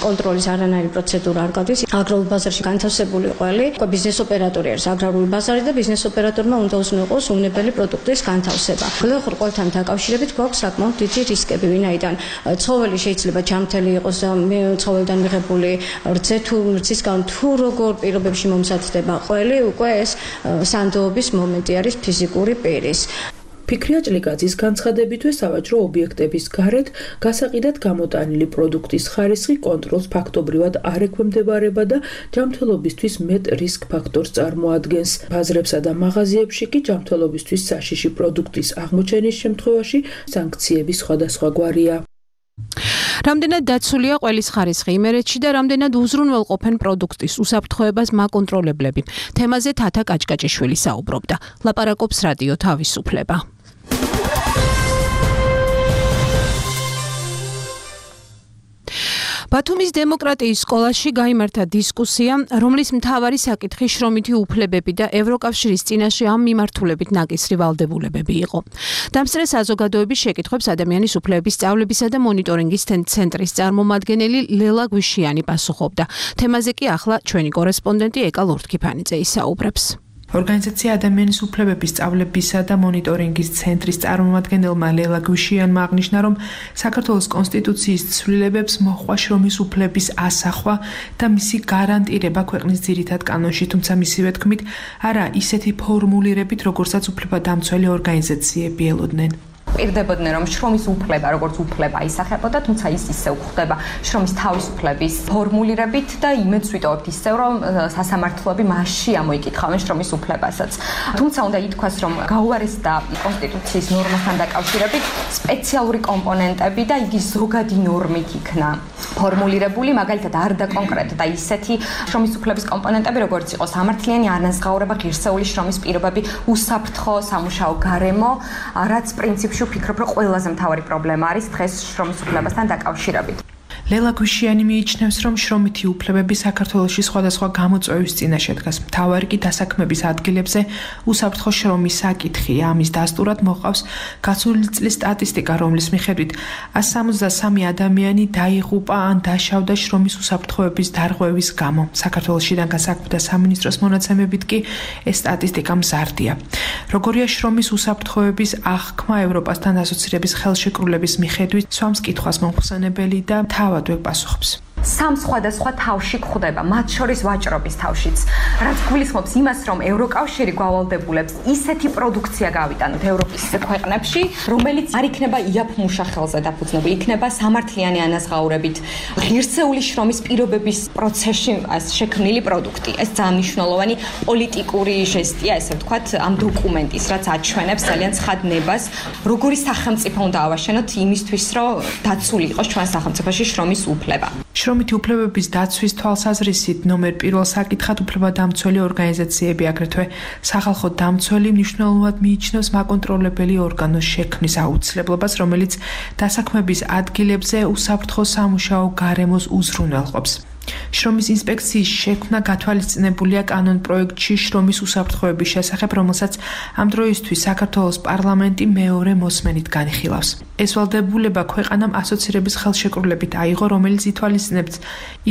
კონტროლის არანაირი პროცედურა არ გადის. აგრარულ ბაზარში განთავსებული ყველი ბიზნეს ოპერატორი არის აგრარული ბაზარი და ბიზნეს ოპერატორმა უნდა უზრუნველყოს უნებელი პროდუქტის განთავსება. გლეხურ ყველთან დაკავშირებით გვაქვს საკმაოდ დიდი რისკები, ვინაიდან ცხოველი შეიძლება ჯანმრთელი იყოს და ცხოველიდან მიღებული რძე თუ რძისგან თუ როგორ პირობებში მომზადდება ყველი, უკვე ეს სანდოობის მომენტი არის ფიზიკური პირის. ფიქრია ჭლიკაძის განცხადებითვე სავაჭრო ობიექტების გარეთ გასაყიდად გამოტანილი პროდუქტის ხარისხი კონტროლს ფაქტობრივად არ ექვემდებარება და ჯანმრთელობისთვის მეტ რისკ ფაქტორს წარმოადგენს. ბაზრებსა და მაღაზიებში კი ჯანმრთელობისთვის საშიში პროდუქტის აღმოჩენის შემთხვევაში სანქციები სხვადასხვაგვარია. რამდენად დაცულია ყველის ხარისხი იმერეთში და რამდენად უზრუნველყოფენ პროდუქტის უსაფრთხოებას მაკონტროლებლები. თემაზე თათა კაჭკაჭიშვილი საუბრობდა. ლაპარაკობს რადიო თავისუფლება. ბათუმის დემოკრატიის სკოლაში გაიმართა დისკუსია, რომლის მთავარი საკითხი შრომითი უფლებები და ევროკავშირის წინაშე ამ მიმართულებით ნაკისრი ვალდებულებები იყო. დამსწრე საზოგადოების შეკითხვებს ადამიანის უფლებების სწავლებისა და მონიტორინგის ცენტრის წარმომადგენელი ლელა გვიშიანი პასუხობდა. თემაზე კი ახლა ჩვენი კორესპონდენტი ეკა ლორთქიფანიძე ისაუბრებს. ორგანიზაცია ადამიანის უფლებების სწავლებისა და მონიტორინგის ცენტრის წარმომადგენელმა ლელა გვიშიანმა აღნიშნა, რომ საქართველოს კონსტიტუციის ცვლილებებს მოჰყვა შრომის უფლების ასახვა და მისი გარანტირება ქვეყნის ძირითად კანონში, თუმცა მისივე თქმით, არა ისეთი ფორმულირებით, როგორცაც უფლებადამცველი ორგანიზაციები ელოდნენ. პირდებოდნენ რომ შრომის უფლება როგორც უფლება ისახებოდა, თუმცა ის ისევ ხდება შრომის თავისუფლების ფორმულირებით და იმედს ვიტოვებთ ისევ რომ სასამართლოები მასში ამოიკითხავენ შრომის უფლებასაც. თუმცა უნდა ითქვას რომ გაუარესდა კონსტიტუციის ნორმასთან დაკავშირებით სპეციალური კომპონენტები და იგი ზოგადი ნორმით იქნა ფორმულირებული, მაგალითად არ დაკონკრეტდა ისეთი შრომის უფლების კომპონენტები როგორც იყო სამართლიანი არანაზღაურება, ღირსეული შრომის პირობები, უსაფრთხო სამუშაო გარემო, რაც პრინციპში ვფიქრობ, რომ ყველაზე მთავარი პრობლემა არის დღეს შრომის უფლებასთან დაკავშირებით. ლელა გვიშიანი მიიჩნევს, რომ შრომითი უფლებები საქართველოში სხვადასხვა გამოწვევის წინაშე დგას. მთავარი კი დასაქმების ადგილებზე უსაფრთხო შრომის საკითხია. ამის დასტურად მოყავს გასული წლის სტატისტიკა, რომლის მიხედვით 163 ადამიანი დაიღუპა ან დაშავდა შრომის უსაფრთხოების დარღვევის გამო. საქართველოსიდან გასაქმდა სამინისტროს მონაცემებით კი ეს სტატისტიკა მზარდია. როგორია შრომის უსაფრთხოების აღქმა ევროპასთან ასოცირების ხელშეკრულების მიხედვით, სვამს კითხვას მომხსენებელი და თავად ვეპასუხებს. სამ სხვადასხვა თავში გვხვდება, მათ შორის ვაჭრობის თავშიც, რაც გულისხმობს იმას, რომ ევროკავშირი გავალდებულებს ისეთი პროდუქცია გავიტანოთ ევროპის ქვეყნებში, რომელიც არ იქნება იაფ-მუშა ხელზე დაფუძნებული, იქნება სამართლიანი ანაზღაურებით, ღირსეული შრომის პირობების პროცესში შექმნილი პროდუქტი. ეს ძალიან მნიშვნელოვანი პოლიტიკური ჟესტია, ესე ვთქვათ, ამ დოკუმენტის, რაც აჩვენებს ძალიან ცხად ნებას, როგორი სახელმწიფო უნდა ავაშენოთ იმისთვის, რომ დაცული იყოს ჩვენ სახელმწიფოში შრომის უფლება. შრომითი უფლებების დაცვის თვალსაზრისით ნომერ პირველ საკითხად უფლებადამცველი ორგანიზაციები, აგრეთვე სახალხო დამცველი მნიშვნელოვნად მიიჩნევს მაკონტროლებელი ორგანოს შექმნის აუცილებლობას, რომელიც დასაქმების ადგილებზე უსაფრთხო სამუშაო გარემოს უზრუნველყოფს. შრომის ინსპექციის შექმნა გათვალისწინებულია კანონპროექტში შრომის უსაფრთხოების შესახებ, რომელსაც ამ დროისთვის საქართველოს პარლამენტი მეორე მოსმენით განიხილავს. ეს ვალდებულება ქვეყანამ ასოცირების ხელშეკრულებით აიღო, რომელიც ითვალისწინებს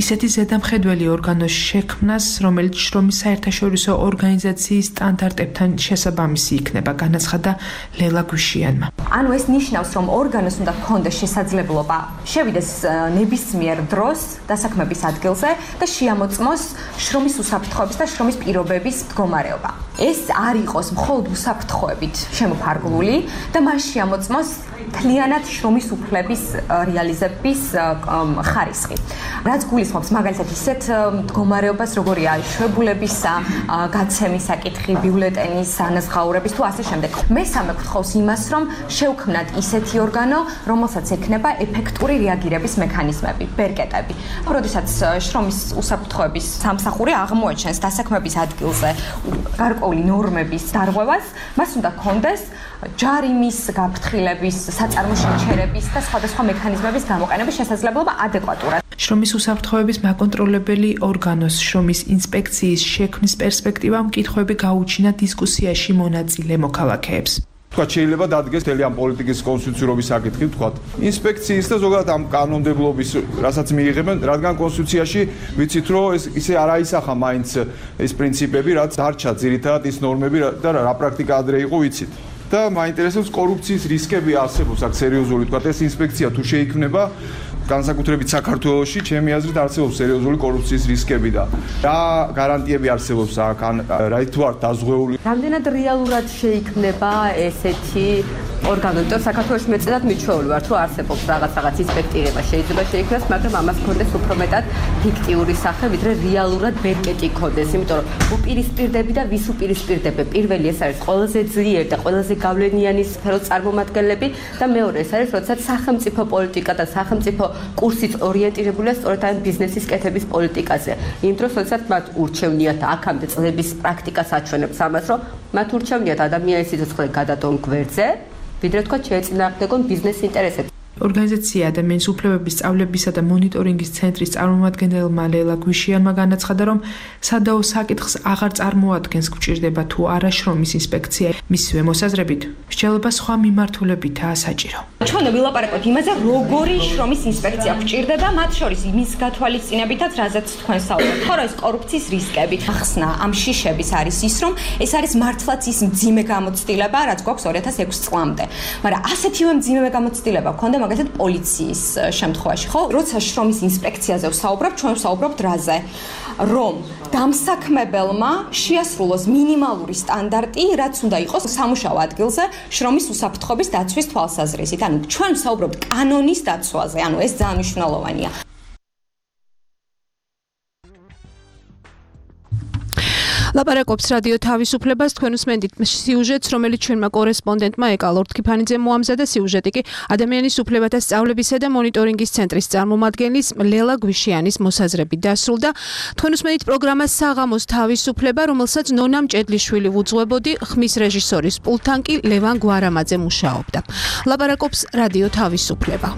ისეთი ზედამხედველი ორგანოს შექმნას, რომელიც შრომის საერთაშორისო ორგანიზაციის სტანდარტებთან შესაბამისი იქნება, განაცხადა ლელა გვიშიანმა. ანუ ეს ნიშნავს, რომ ორგანოს უნდა ჰქონდეს შესაძლებლობა შევიდეს ნებისმიერ დროს დასაქმების ადგილზე და შეამოწმოს შრომის უსაფრთხოების და შრომის პირობების მდგომარეობა. ეს არ იყოს მხოლოდ უსაფრთხოებით შემოფარგლული და მას შეამოწმოს მთლიანად შრომის უფლების რეალიზების ხარისხი. რაც გულისხმობს მაგალითად ისეთ მდგომარეობას, როგორია შვებულებისა, გაცემის საკითხი, ბიულეტენის ანაზღაურების თუ ასე შემდეგ. მესამე გვთხოვს იმას, რომ შევქმნათ ისეთი ორგანო, რომელსაც ექნება ეფექტური რეაგირების მექანიზმები, ბერკეტები. როდესაც შრომის უსაფრთხოების სამსახური აღმოაჩენს დასაქმების ადგილზე გარკვეული ნორმების დარღვევას, მას უნდა ჰქონდეს ჯარიმის გაფრთხილების, საწარმოშენჩერების და სხვადასხვა მექანიზმების გამოყენების შესაძლებლობა ადეკვატურად. შრომის უსაფრთხოების მაკონტროლებელი ორგანოს შრომის ინსპექციის შექმნის პერსპექტივამ კითხვები გაუჩინა დისკუსიაში მონაწილე მოქალაქეებს. თქვათ შეიძლება დადგეს მთელი ამ პოლიტიკის კონსტიტუციურობის საკითხი, თქვათ ინსპექციის და ზოგადად ამ კანონმდებლობის, რასაც მიიღებენ, რადგან კონსტიტუციაში ვიცით, რომ ეს ისე არ აისახა მაინც ეს პრინციპები, რაც დარჩა ძირითადად ის ნორმები და რა პრაქტიკა ადრე იყო ვიცით. და მაინტერესებს კორუფციის რისკები არსებობს აქ სერიოზული, თქვათ ეს ინსპექცია თუ შეიქმნება განსაკუთრებით საქართველოში, ჩემი აზრით არსებობს სერიოზული კორუფციის რისკები და რა გარანტიები არსებობს აქ, ან რა თუ არ დაზღვეული. რამდენად რეალურად შეიქმნება ესეთი ორგანო, იმიტომ საქართველოში მეწედად მიჩვეული ვარ, თუ არსებობს რაღაც ინსპექტირება შეიძლება შეიქმნას, მაგრამ ამას გქონდეს უფრო მეტად ფიქტიური სახე, ვიდრე რეალურად ბერკეტი გქონდეს, იმიტომ რომ უპირისპირდები და ვის უპირისპირდები. პირველი ეს არის ყველაზე ძლიერი და ყველაზე გავლენიანი სფეროს წარმომადგენლები და მეორე ეს არის, როდესაც სახელმწიფო პოლიტიკა და სახელმწიფო კურსით ორიენტირებულია სწორედ ამ ბიზნესის კეთების პოლიტიკაზე. იმ დროს, როდესაც მათ ურჩევნიათ აქამდე წლების პრაქტიკას აჩვენებს ამას, რომ მათ ურჩევნიათ ადამიანის სიცოცხლე გადადონ გვერდზე, ვიდრე თქვა შეეწინააღმდეგონ ბიზნეს ინტერესებს. ორგანიზაცია ადამიანის უფლებების სწავლებისა და მონიტორინგის ცენტრის წარმომადგენელმა ლელა გვიშიანმა განაცხადა, რომ სადაო საკითხს აღარ წარმოადგენს გვჭირდება თუ არა შრომის ინსპექცია. მისივე მოსაზრებით, მსჯელობა სხვა მიმართულებითაა საჭირო. ჩვენ ვილაპარაკოთ იმაზე, როგორი შრომის ინსპექცია გვჭირდება, მათ შორის იმის გათვალისწინებითაც, რაზეც თქვენ საუბრობთ, ხო, ეს კორუფციის რისკები. ახსნა ამ შიშების არის ის, რომ ეს არის მართლაც ის მძიმე გამოცდილება, რაც გვაქვს 2006 წლამდე. მაგრამ ასეთივე მძიმე გამოცდილება გქონდა მაგალითად პოლიციის შემთხვევაში, ხო? როცა შრომის ინსპექციაზე ვსაუბრობ, ჩვენ ვსაუბრობთ რაზე? რომ დამსაქმებელმა შეასრულოს მინიმალური სტანდარტი, რაც უნდა იყოს სამუშაო ადგილზე შრომის უსაფრთხოების დაცვის თვალსაზრისით. ანუ ჩვენ ვსაუბრობთ კანონის დაცვაზე, ანუ ეს ძალიან მნიშვნელოვანია. ლაპარაკობს რადიო თავისუფლებას, თქვენ უსმენთ სიუჟეტს, რომელიც ჩვენმა კორესპონდენტმა ეკა ლორდ-ქიფანიძემ მოამზადა. სიუჟეტი კი ადამიანის უფლებათა სწავლებისა და მონიტორინგის ცენტრის წარმომადგენლის ლელა გვიშიანის მოსაზრებით დასრულდა. თქვენ უსმენთ პროგრამას საღამოს თავისუფლება, რომელსაც ნონა მჭედლიშვილი უძღვებოდი, ხმის რეჟისორის პულტთან კი ლევან გვარამაძე მუშაობდა. ლაპარაკობს რადიო თავისუფლება.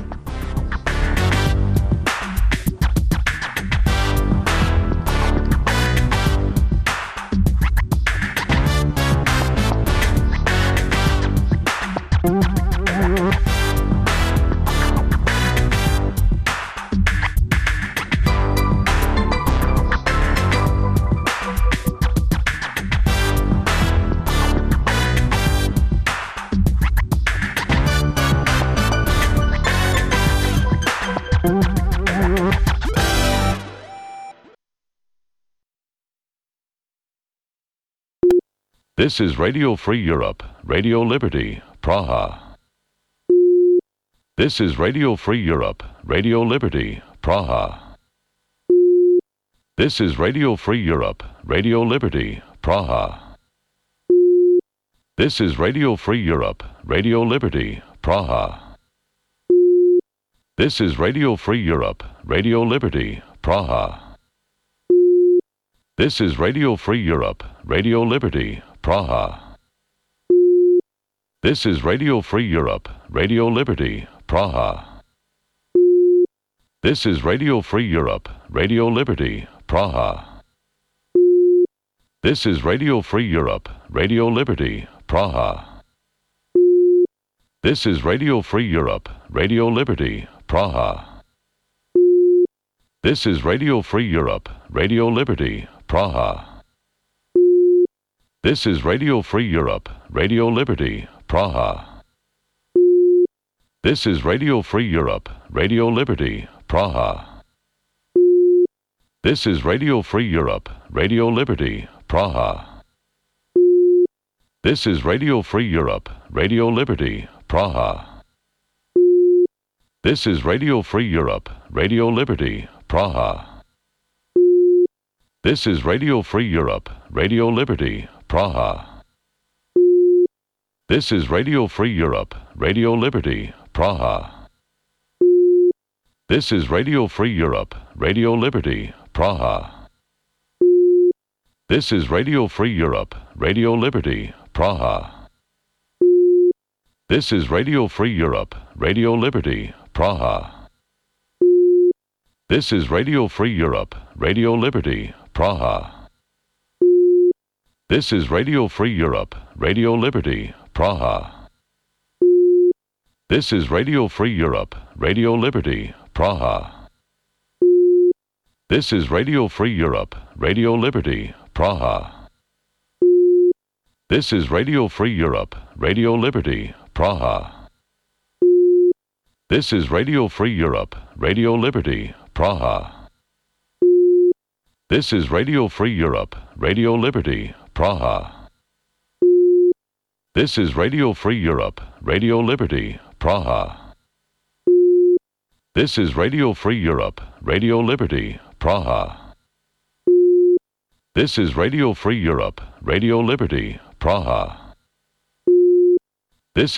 This is Radio Free Europe, Radio Liberty, Praha. This is Radio Free Europe, Radio Liberty, Praha. This is Radio Free Europe, Radio Liberty, Praha. This is Radio Free Europe, Radio Liberty, Praha. This is Radio Free Europe, Radio Liberty, Praha. This is Radio Free Europe, Radio Liberty, Praha. This is Radio Free Europe, Radio Liberty, Praha. This is Radio Free Europe, Radio Liberty, Praha. This is Radio Free Europe, Radio Liberty, Praha. This is Radio Free Europe, Radio Liberty, Praha. This is Radio Free Europe, Radio Liberty, Praha. This is Radio Free Europe, Radio Liberty, Praha. This is Radio Free Europe, Radio Liberty, Praha. This is Radio Free Europe, Radio Liberty, Praha. This is Radio Free Europe, Radio Liberty, Praha. This is Radio Free Europe, Radio Liberty, Praha. This is Radio Free Europe, Radio Liberty, Praha. This is Radio Free Europe, Radio Liberty, Praha. This is Radio Free Europe, Radio Liberty, Praha. This is Radio Free Europe, Radio Liberty, Praha. This is Radio Free Europe, Radio Liberty, Praha. This is Radio Free Europe, Radio Liberty, Praha. This is Radio Free Europe, Radio Liberty, Praha. This is Radio Free Europe, Radio Liberty, Praha. This is Radio Free Europe, Radio Liberty, Praha. This is Radio Free Europe, Radio Liberty, Praha. This is Radio Free Europe, Radio Liberty, Praha. This is Radio Free Europe, Radio Liberty, Praha. This is Radio Free Europe, Radio Liberty, Praha. This is Radio Free Europe, Radio Liberty, Praha. This is Radio Free Europe, Radio Liberty, Praha.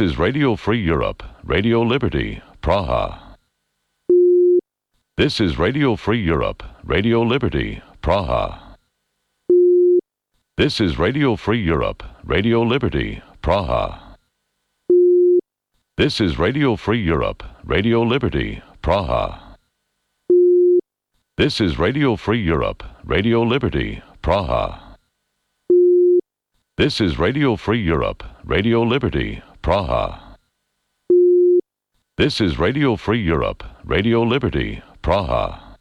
This is Radio Free Europe, Radio Liberty, Praha. This is Radio Free Europe, Radio Liberty, Praha. This is Radio Free Europe, Radio Liberty, Praha. This is Radio Free Europe, Radio Liberty, Praha. This is Radio Free Europe, Radio Liberty, Praha. This is Radio Free Europe, Radio Liberty, Praha. This is Radio Free Europe, Radio Liberty, Praha.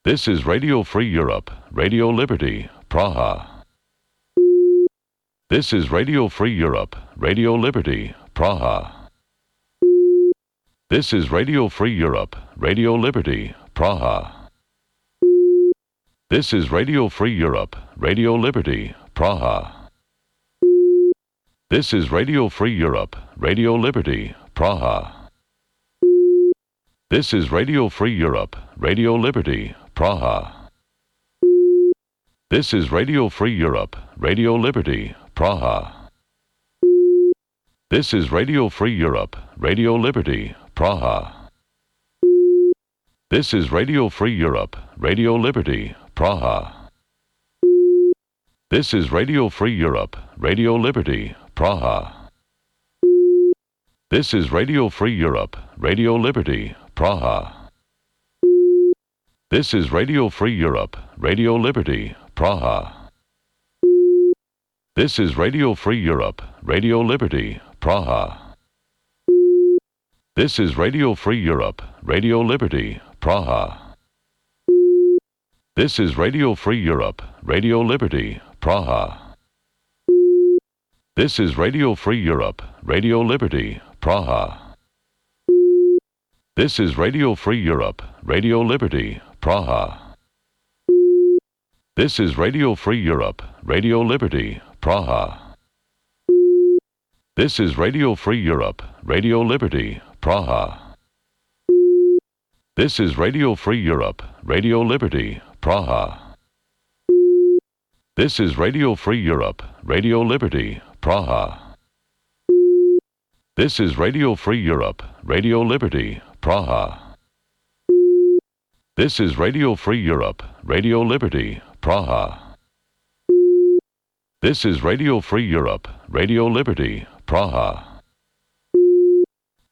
This is Radio Free Europe, Radio Liberty, Praha. This is Radio Free Europe, Radio Liberty, Praha. This is Radio Free Europe, Radio Liberty, Praha. This is Radio Free Europe, Radio Liberty, Praha. This is Radio Free Europe, Radio Liberty, Praha. This is Radio Free Europe, Radio Liberty, Praha. This is Radio Free Europe, Radio Liberty, Praha. This is Radio Free Europe, Radio Liberty, Praha. This is Radio Free Europe, Radio Liberty, Praha. This is Radio Free Europe, Radio Liberty, Praha. This is Radio Free Europe, Radio Liberty, Praha. This is Radio Free Europe, Radio Liberty, Praha. This is Radio Free Europe, Radio Liberty, Praha. This is Radio Free Europe, Radio Liberty, Praha. This is Radio Free Europe, Radio Liberty, Praha. This is Radio Free Europe, Radio Liberty, Praha. This is Radio Free Europe, Radio Liberty, Praha. This is Radio Free Europe, Radio Liberty, Praha. This is Radio Free Europe, Radio Liberty, Praha. This is Radio Free Europe, Radio Liberty, Praha. This is Radio Free Europe, Radio Liberty, Praha. This is Radio Free Europe, Radio Liberty, Praha. This is Radio Free Europe, Radio Liberty, Praha. This is Radio Free Europe, Radio Liberty, Praha.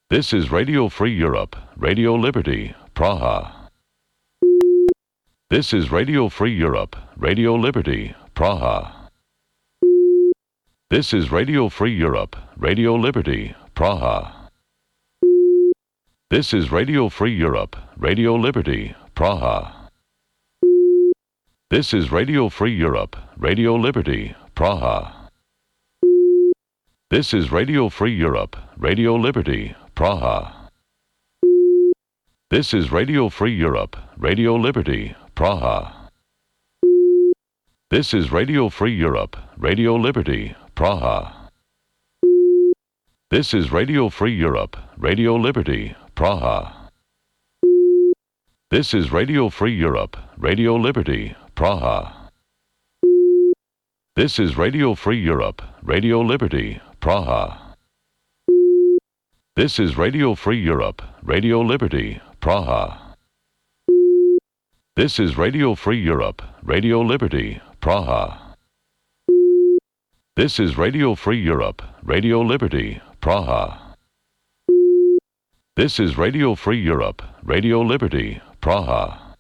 This is Radio Free Europe, Radio Liberty, Praha. This is Radio Free Europe, Radio Liberty, Praha. This is Radio Free Europe, Radio Liberty, Praha. This is Radio Free Europe, Radio Liberty, Praha. This is Radio Free Europe, Radio Liberty, Praha. This is Radio Free Europe, Radio Liberty, Praha. This is Radio Free Europe, Radio Liberty, Praha. This is Radio Free Europe, Radio Liberty, Praha. This is Radio Free Europe, Radio Liberty, Praha. This is Radio Free Europe, Radio Liberty, Praha. This is Radio Free Europe, Radio Liberty, Praha. This is Radio Free Europe, Radio Liberty, Praha. This is Radio Free Europe, Radio Liberty, Praha. This is Radio Free Europe, Radio Liberty, Praha. This is Radio Free Europe, Radio Liberty, Praha.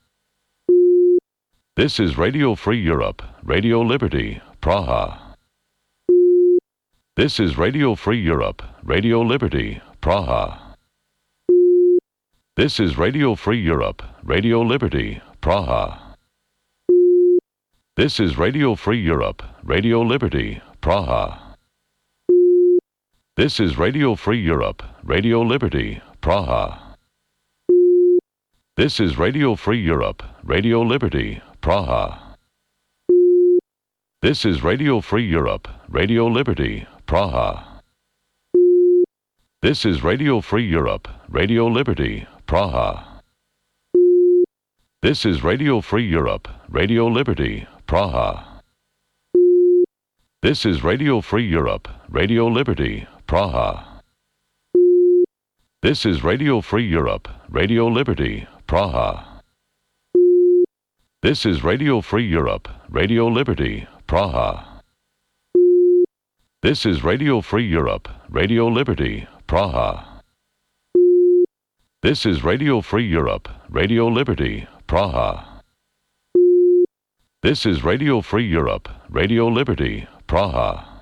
This is Radio Free Europe, Radio Liberty, Praha. This is Radio Free Europe, Radio Liberty, Praha. This is Radio Free Europe, Radio Liberty, Praha. This is Radio Free Europe, Radio Liberty, Praha. This is Radio Free Europe, Radio Liberty, Praha. This is Radio Free Europe, Radio Liberty, Praha. This is Radio Free Europe, Radio Liberty, Praha. This is Radio Free Europe, Radio Liberty, Praha. This is Radio Free Europe, Radio Liberty, Praha. This is Radio Free Europe, Radio Liberty, Praha. This is Radio Free Europe, Radio Liberty, Praha. This is Radio Free Europe, Radio Liberty, Praha. This is Radio Free Europe, Radio Liberty, Praha. This is Radio Free Europe, Radio Liberty, Praha. This is Radio Free Europe, Radio Liberty, Praha.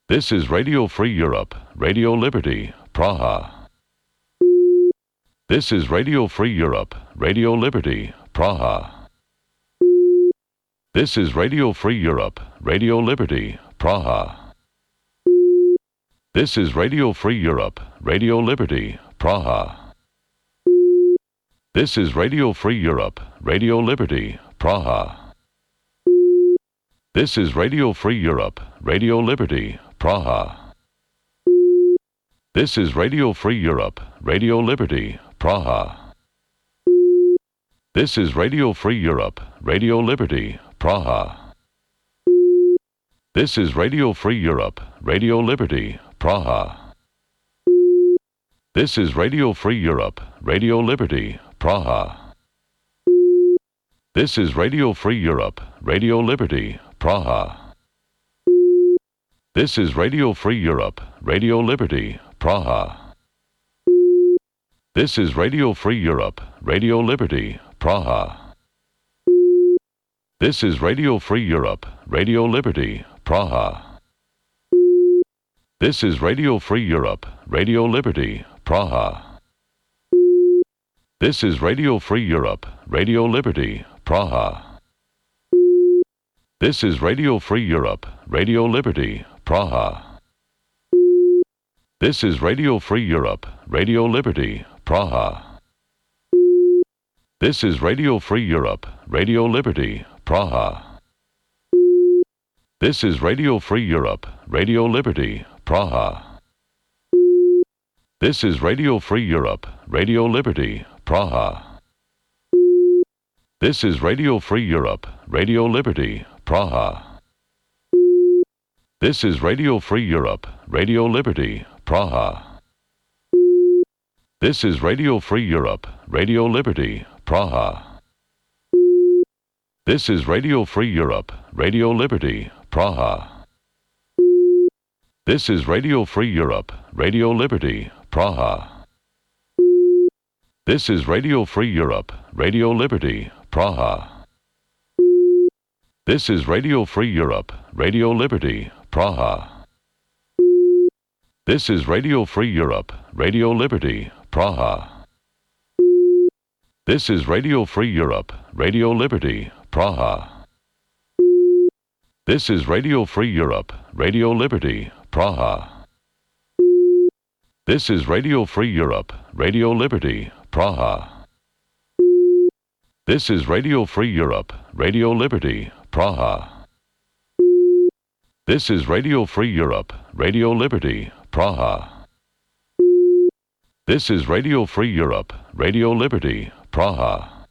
This is Radio Free Europe, Radio Liberty, Praha. This is Radio Free Europe, Radio Liberty, Praha. This is Radio Free Europe, Radio Liberty, Praha. This is Radio Free Europe, Radio Liberty, Praha. This is Radio Free Europe, Radio Liberty, Praha. This is Radio Free Europe, Radio Liberty, Praha. This is Radio Free Europe, Radio Liberty, Praha. This is Radio Free Europe, Radio Liberty, Praha. This is Radio Free Europe, Radio Liberty, Praha. This is Radio Free Europe, Radio Liberty, Praha. This is Radio Free Europe, Radio Liberty, Praha. This is Radio Free Europe, Radio Liberty, Praha. This is Radio Free Europe, Radio Liberty, Praha. This is Radio Free Europe, Radio Liberty, Praha. This is Radio Free Europe, Radio Liberty, Praha. This is Radio Free Europe, Radio Liberty, Praha. This is Radio Free Europe, Radio Liberty, Praha. This is Radio Free Europe, Radio Liberty, Praha. This is Radio Free Europe, Radio Liberty, Praha. This is Radio Free Europe, Radio Liberty, Praha. This is Radio Free Europe, Radio Liberty, Praha. This is Radio Free Europe, Radio Liberty, Praha. This is Radio Free Europe, Radio Liberty, Praha. This is Radio Free Europe, Radio Liberty, Praha. This is Radio Free Europe, Radio Liberty, Praha. This is Radio Free Europe, Radio Liberty, Praha. This is Radio Free Europe, Radio Liberty, Praha. This is Radio Free Europe, Radio Liberty, Praha. This is Radio Free Europe, Radio Liberty, Praha. This is Radio Free Europe, Radio Liberty, Praha. This is Radio Free Europe, Radio Liberty, Praha. This is Radio Free Europe, Radio Liberty, Praha. This is Radio Free Europe, Radio Liberty, Praha. This is Radio Free Europe, Radio Liberty, Praha. This is Radio Free Europe, Radio Liberty, Praha.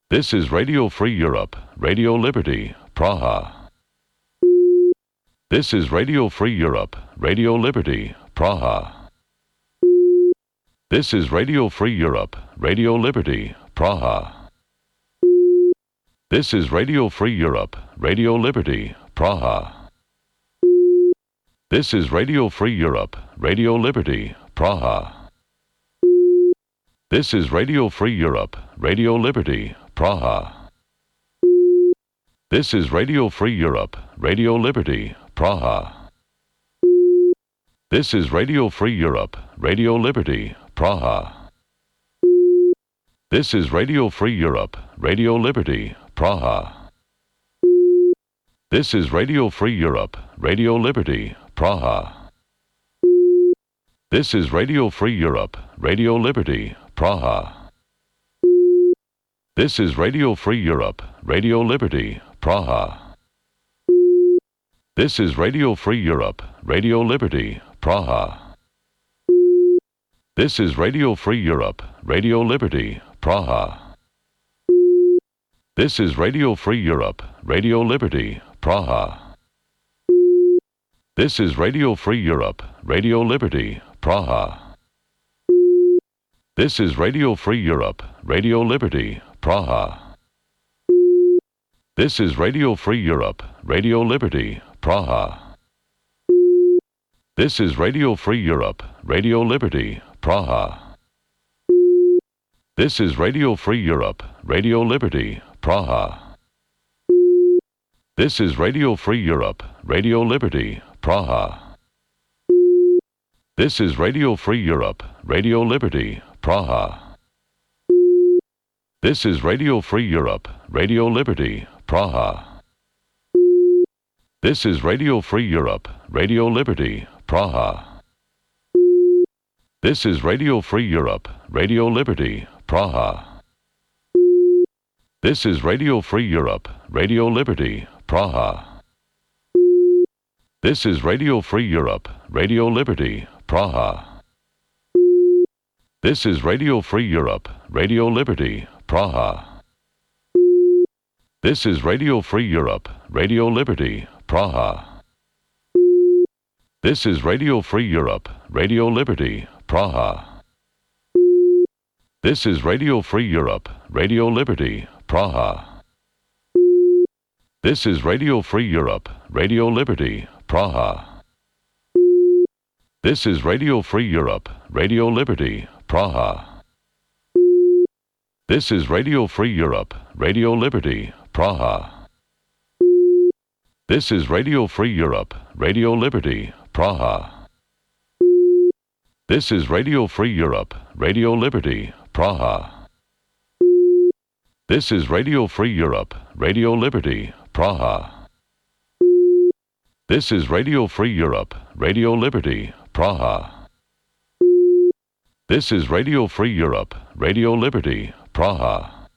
This is Radio Free Europe, Radio Liberty, Praha. This is Radio Free Europe, Radio Liberty, Praha. This is Radio Free Europe, Radio Liberty, Praha. This is Radio Free Europe, Radio Liberty, Praha. This is Radio Free Europe, Radio Liberty, Praha. This is Radio Free Europe, Radio Liberty, Praha. This is Radio Free Europe, Radio Liberty, Praha. This is Radio Free Europe, Radio Liberty, Praha. This is Radio Free Europe, Radio Liberty, Praha. This is Radio Free Europe, Radio Liberty, Praha. This is Radio Free Europe, Radio Liberty, Praha. This is Radio Free Europe, Radio Liberty, Praha. This is Radio Free Europe, Radio Liberty, Praha. This is Radio Free Europe, Radio Liberty, Praha. This is Radio Free Europe, Radio Liberty, Praha. This is Radio Free Europe, Radio Liberty, Praha. This is Radio Free Europe, Radio Liberty, Praha. This is Radio Free Europe, Radio Liberty, Praha. This is Radio Free Europe, Radio Liberty, Praha. This is Radio Free Europe, Radio Liberty, Praha. This is Radio Free Europe, Radio Liberty, Praha. This is Radio Free Europe, Radio Liberty, Praha. This is Radio Free Europe, Radio Liberty, Praha. This is Radio Free Europe, Radio Liberty, Praha. This is Radio Free Europe, Radio Liberty, Praha. This is Radio Free Europe, Radio Liberty, Praha. This is Radio Free Europe, Radio Liberty, Praha. This is Radio Free Europe, Radio Liberty, Praha. This is Radio Free Europe, Radio Liberty, Praha. This is Radio Free Europe, Radio Liberty, Praha. This is Radio Free Europe, Radio Liberty, Praha. This is Radio Free Europe, Radio Liberty, Praha. This is Radio Free Europe, Radio Liberty, Praha. This is Radio Free Europe, Radio Liberty, Praha. This is Radio Free Europe, Radio Liberty, Praha. This is Radio Free Europe, Radio Liberty, Praha. This is Radio Free Europe, Radio Liberty, Praha. This is Radio Free Europe, Radio Liberty, Praha. This is Radio Free Europe, Radio Liberty, Praha.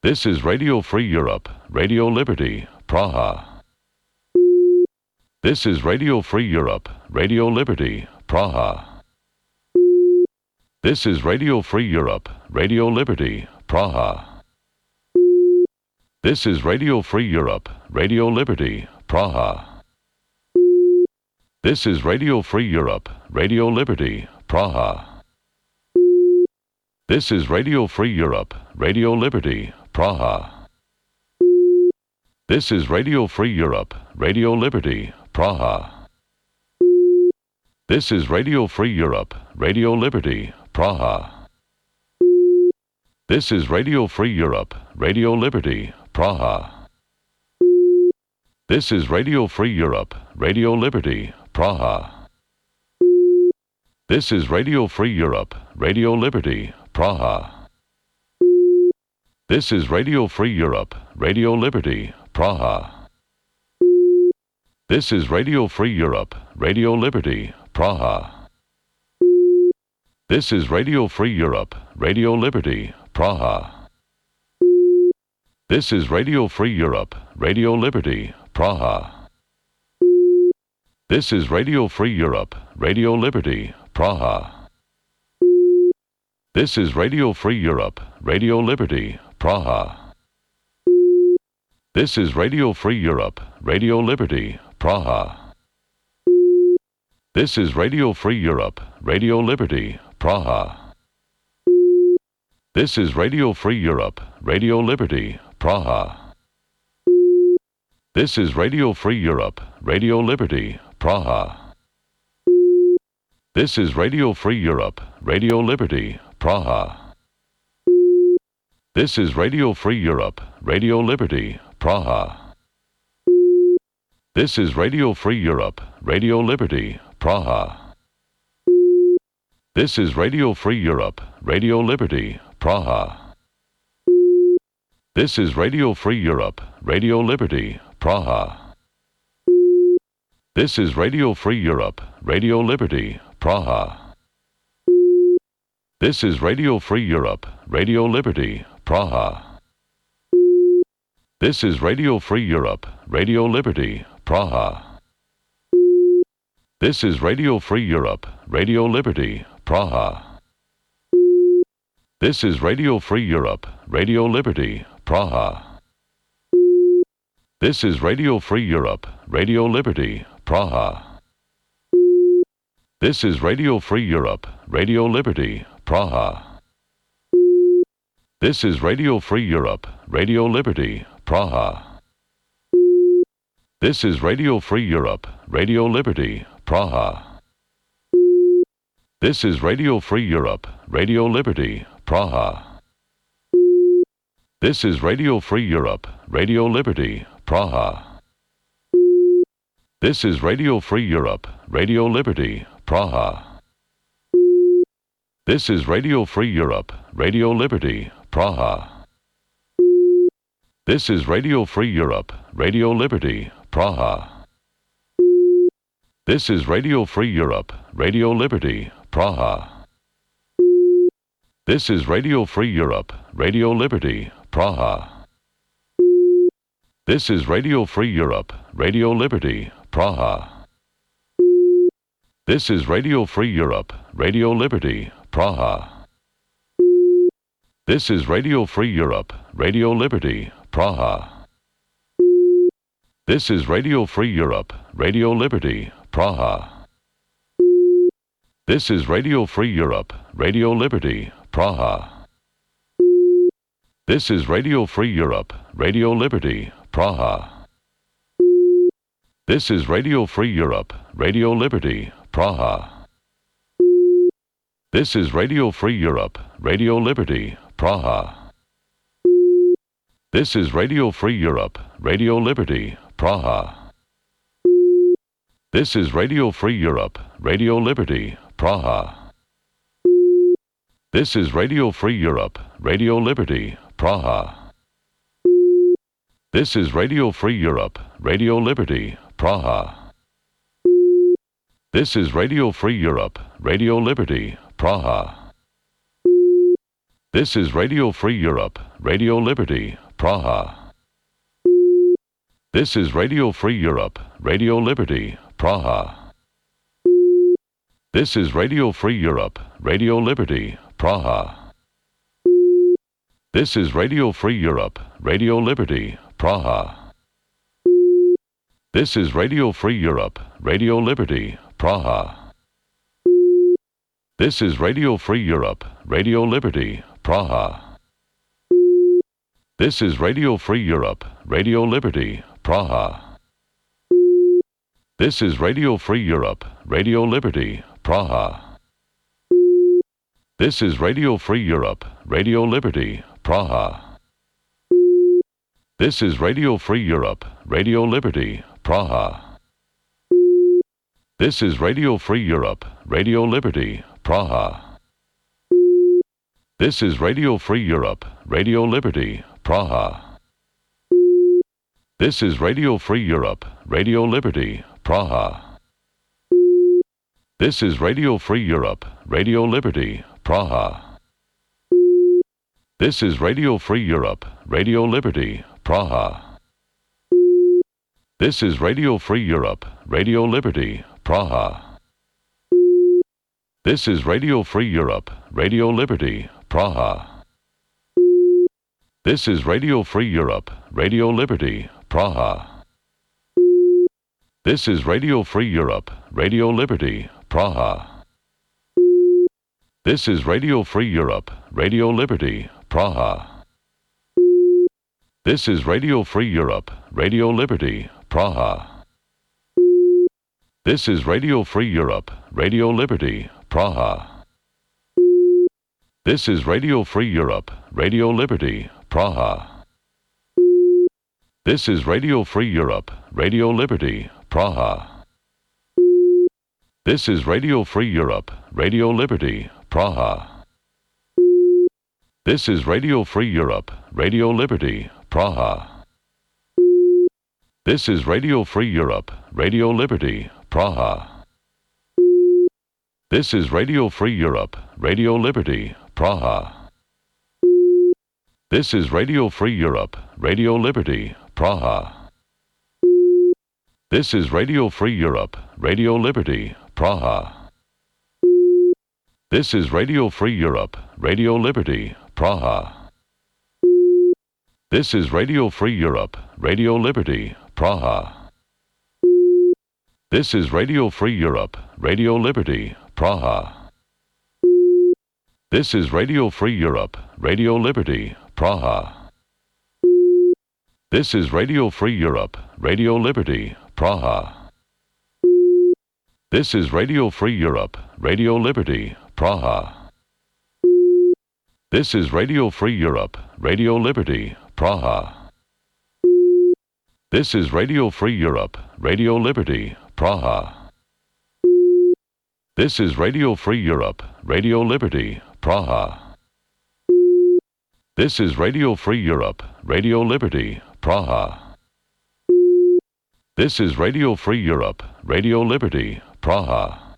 This is Radio Free Europe, Radio Liberty, Praha. This is Radio Free Europe, Radio Liberty, Praha. This is Radio Free Europe, Radio Liberty, Praha. This is Radio Free Europe, Radio Liberty, Praha. This is Radio Free Europe, Radio Liberty, Praha. This is Radio Free Europe, Radio Liberty, Praha. This is Radio Free Europe, Radio Liberty, Praha. This is Radio Free Europe, Radio Liberty, Praha. This is Radio Free Europe, Radio Liberty, Praha. This is Radio Free Europe, Radio Liberty, Praha. This is Radio Free Europe, Radio Liberty, Praha. This is Radio Free Europe, Radio Liberty, Praha. This is Radio Free Europe, Radio Liberty, Praha. This is Radio Free Europe, Radio Liberty, Praha. This is Radio Free Europe, Radio Liberty, Praha. This is Radio Free Europe, Radio Liberty, Praha. This is Radio Free Europe, Radio Liberty, Praha. This is Radio Free Europe, Radio Liberty, Praha. This is Radio Free Europe, Radio Liberty, Praha. This is Radio Free Europe, Radio Liberty, Praha. This is Radio Free Europe, Radio Liberty, Praha. This is Radio Free Europe, Radio Liberty, Praha. This is Radio Free Europe, Radio Liberty, Praha. This is Radio Free Europe, Radio Liberty, Praha. This is Radio Free Europe, Radio Liberty, Praha. This is Radio Free Europe, Radio Liberty, Praha. This is Radio Free Europe, Radio Liberty, Praha. This is Radio Free Europe, Radio Liberty, Praha. This is Radio Free Europe, Radio Liberty, Praha. This is Radio Free Europe, Radio Liberty, Praha. This is Radio Free Europe, Radio Liberty, Praha. This is Radio Free Europe, Radio Liberty, Praha. This is Radio Free Europe, Radio Liberty, Praha. This is Radio Free Europe, Radio Liberty, Praha. This is Radio Free Europe, Radio Liberty, Praha. This is Radio Free Europe, Radio Liberty, Praha. This is Radio Free Europe, Radio Liberty, Praha. This is Radio Free Europe, Radio Liberty, Praha. This is Radio Free Europe, Radio Liberty, Praha. This is Radio Free Europe, Radio Liberty, Praha. This is Radio Free Europe, Radio Liberty, Praha. This is Radio Free Europe, Radio Liberty, Praha. This is Radio Free Europe, Radio Liberty, Praha. This is Radio Free Europe, Radio Liberty, Praha. This is Radio Free Europe, Radio Liberty, Praha. This is Radio Free Europe, Radio Liberty, Praha. This is Radio Free Europe, Radio Liberty, Praha. This is Radio Free Europe, Radio Liberty, Praha. This is Radio Free Europe, Radio Liberty, Praha. This is Radio Free Europe, Radio Liberty, Praha. This is Radio Free Europe, Radio Liberty, Praha. This is Radio Free Europe, Radio Liberty, Praha. This is Radio Free Europe, Radio Liberty, Praha. This is Radio Free Europe, Radio Liberty, Praha. This is Radio Free Europe, Radio Liberty, Praha. This is Radio Free Europe, Radio Liberty, Praha. This is Radio Free Europe, Radio Liberty, Praha. This is Radio Free Europe, Radio Liberty, Praha. This is Radio Free Europe, Radio Liberty, Praha. This is Radio Free Europe, Radio Liberty, Praha. This is Radio Free Europe, Radio Liberty, Praha. This is Radio Free Europe, Radio Liberty, Praha. This is Radio Free Europe, Radio Liberty, Praha. This is Radio Free Europe, Radio Liberty, Praha. This is Radio Free Europe, Radio Liberty, Praha. This is Radio Free Europe, Radio Liberty, Praha. This is Radio Free Europe, Radio Liberty, Praha. This is Radio Free Europe, Radio Liberty, Praha. This is Radio Free Europe, Radio Liberty, Praha. This is Radio Free Europe, Radio Liberty, Praha. This is Radio Free Europe, Radio Liberty, Praha. This is Radio Free Europe, Radio Liberty, Praha. This is Radio Free Europe, Radio Liberty, Praha. This is Radio Free Europe, Radio Liberty, Praha. This is Radio Free Europe, Radio Liberty, Praha. This is Radio Free Europe, Radio Liberty, Praha. This is Radio Free Europe, Radio Liberty, Praha. This is Radio Free Europe, Radio Liberty, Praha. This is Radio Free Europe, Radio Liberty, Praha. This is Radio Free Europe, Radio Liberty, Praha. This is Radio Free Europe, Radio Liberty, Praha. This is Radio Free Europe, Radio Liberty, Praha. This is Radio Free Europe, Radio Liberty, Praha. This is Radio Free Europe, Radio Liberty, Praha. This is Radio Free Europe, Radio Liberty, Praha. This is Radio Free Europe, Radio Liberty, Praha. This is Radio Free Europe, Radio Liberty, Praha. This is Radio Free Europe, Radio Liberty, Praha. This is Radio Free Europe, Radio Liberty, Praha. This is Radio Free Europe, Radio Liberty, Praha. This is Radio Free Europe, Radio Liberty, Praha. This is Radio Free Europe, Radio Liberty, Praha. This is Radio Free Europe, Radio Liberty, Praha. This is Radio Free Europe, Radio Liberty, Praha. This is Radio Free Europe, Radio Liberty, Praha. This is Radio Free Europe, Radio Liberty, Praha.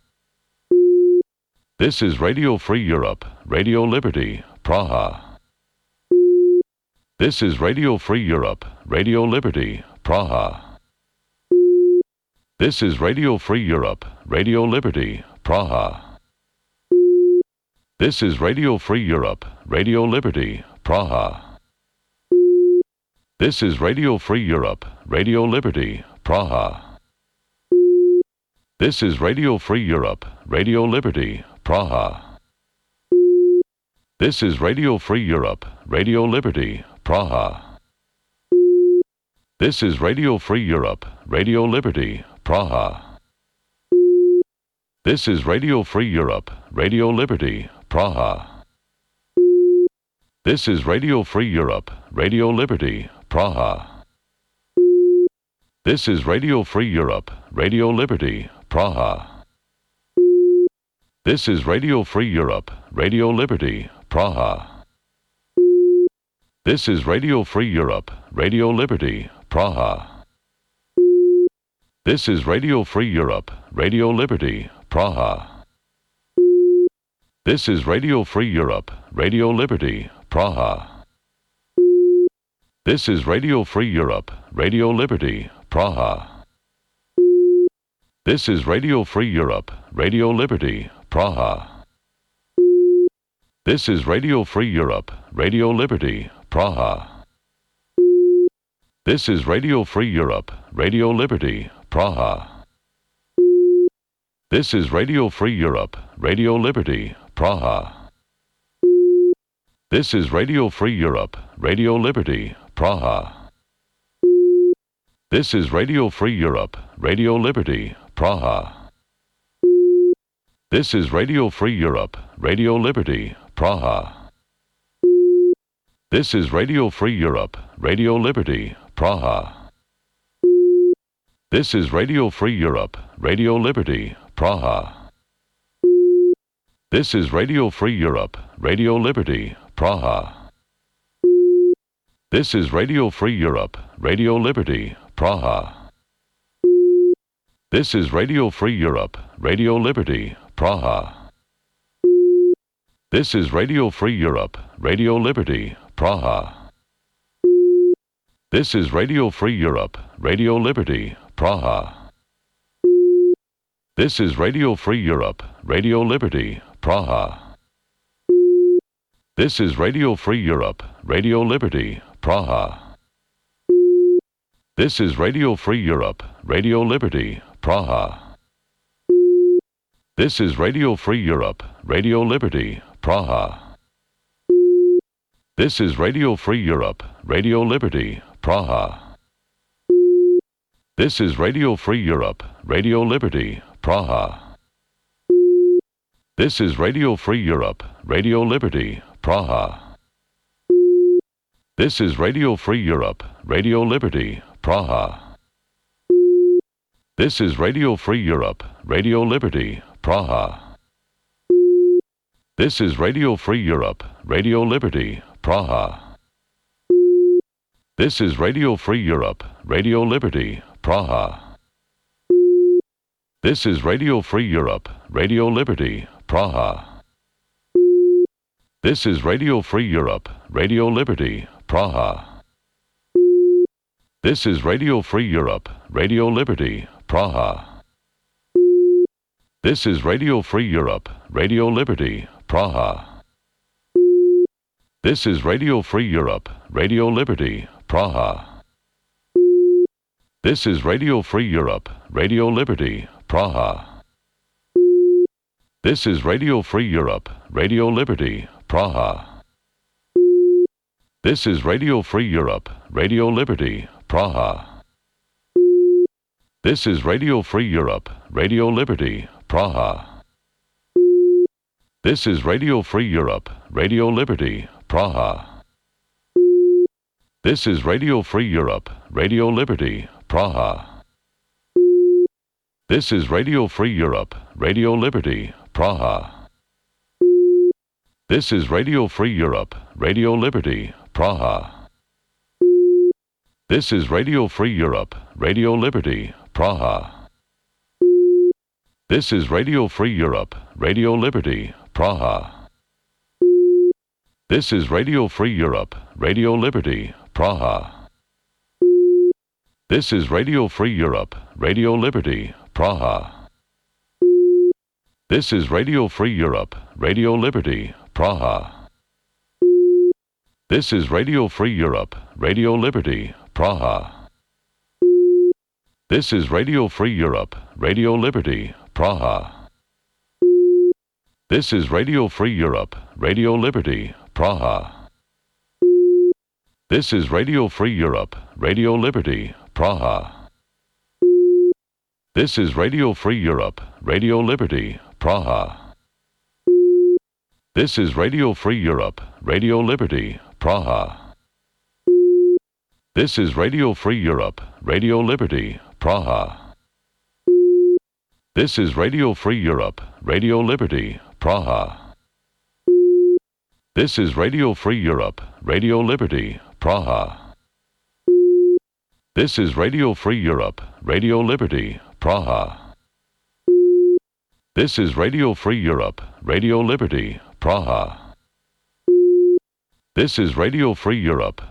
This is Radio Free Europe, Radio Liberty, Praha. This is Radio Free Europe, Radio Liberty, Praha. This is Radio Free Europe, Radio Liberty, Praha. This is Radio Free Europe, Radio Liberty, Praha. This is Radio Free Europe, Radio Liberty, Praha. This is Radio Free Europe, Radio Liberty, Praha. This is Radio Free Europe, Radio Liberty, Praha. This is Radio Free Europe, Radio Liberty, Praha. This is Radio Free Europe, Radio Liberty, Praha. This is Radio Free Europe, Radio Liberty, Praha. This is Radio Free Europe, Radio Liberty, Praha. This is Radio Free Europe, Radio Liberty, Praha. This is Radio Free Europe, Radio Liberty, Praha. This is Radio Free Europe, Radio Liberty, Praha. This is Radio Free Europe, Radio Liberty, Praha. This is Radio Free Europe, Radio Liberty, Praha. This is Radio Free Europe, Radio Liberty, Praha. This is Radio Free Europe, Radio Liberty, Praha. This is Radio Free Europe, Radio Liberty, Praha. This is Radio Free Europe, Radio Liberty, Praha. This is Radio Free Europe, Radio Liberty, Praha. This is Radio Free Europe, Radio Liberty, Praha. This is Radio Free Europe, Radio Liberty, Praha. This is Radio Free Europe, Radio Liberty, Praha. This is Radio Free Europe, Radio Liberty, Praha. This is Radio Free Europe, Radio Liberty, Praha. This is Radio Free Europe, Radio Liberty, Praha. This is Radio Free Europe, Radio Liberty, Praha. This is Radio Free Europe, Radio Liberty, Praha. This is Radio Free Europe, Radio Liberty, Praha. This is Radio Free Europe, Radio Liberty, Praha. This is Radio Free Europe, Radio Liberty, Praha. This is Radio Free Europe, Radio Liberty, Praha. This is Radio Free Europe, Radio Liberty, Praha. This is Radio Free Europe, Radio Liberty, Praha. This is Radio Free Europe, Radio Liberty, Praha. This is Radio Free Europe, Radio Liberty, Praha. This is Radio Free Europe, Radio Liberty, Praha. This is Radio Free Europe, Radio Liberty, Praha. This is Radio Free Europe, Radio Liberty, Praha. This is Radio Free Europe, Radio Liberty, Praha. This is Radio Free Europe, Radio Liberty, Praha. This is Radio Free Europe, Radio Liberty, Praha. This is Radio Free Europe, Radio Liberty, Praha. This is Radio Free Europe, Radio Liberty, Praha. This is Radio Free Europe, Radio Liberty, Praha. This is Radio Free Europe, Radio Liberty, Praha. This is Radio Free Europe, Radio Liberty, Praha. This is Radio Free Europe, Radio Liberty, Praha. This is Radio Free Europe, Radio Liberty, Praha. This is Radio Free Europe, Radio Liberty, Praha. This is Radio Free Europe, Radio Liberty, Praha. This is Radio Free Europe, Radio Liberty, Praha. This is Radio Free Europe, Radio Liberty, Praha. This is Radio Free Europe, Radio Liberty, Praha. This is Radio Free Europe, Radio Liberty, Praha. This is Radio Free Europe, Radio Liberty, Praha. This is Radio Free Europe, Radio Liberty, Praha. This is Radio Free Europe, Radio Liberty, Praha. This is Radio Free Europe, Radio Liberty, Praha. This is Radio Free Europe, Radio Liberty, Praha. This is Radio Free Europe, Radio Liberty, Praha. This is Radio Free Europe, Radio Liberty, Praha. This is Radio Free Europe, Radio Liberty, Praha. This is Radio Free Europe, Radio Liberty, Praha. This is Radio Free Europe, Radio Liberty, Praha. This is Radio Free Europe, Radio Liberty, Praha. This is Radio Free Europe, Radio Liberty, Praha. This is Radio Free Europe, Radio Liberty, Praha. This is Radio Free Europe, Radio Liberty, Praha. This is Radio Free Europe,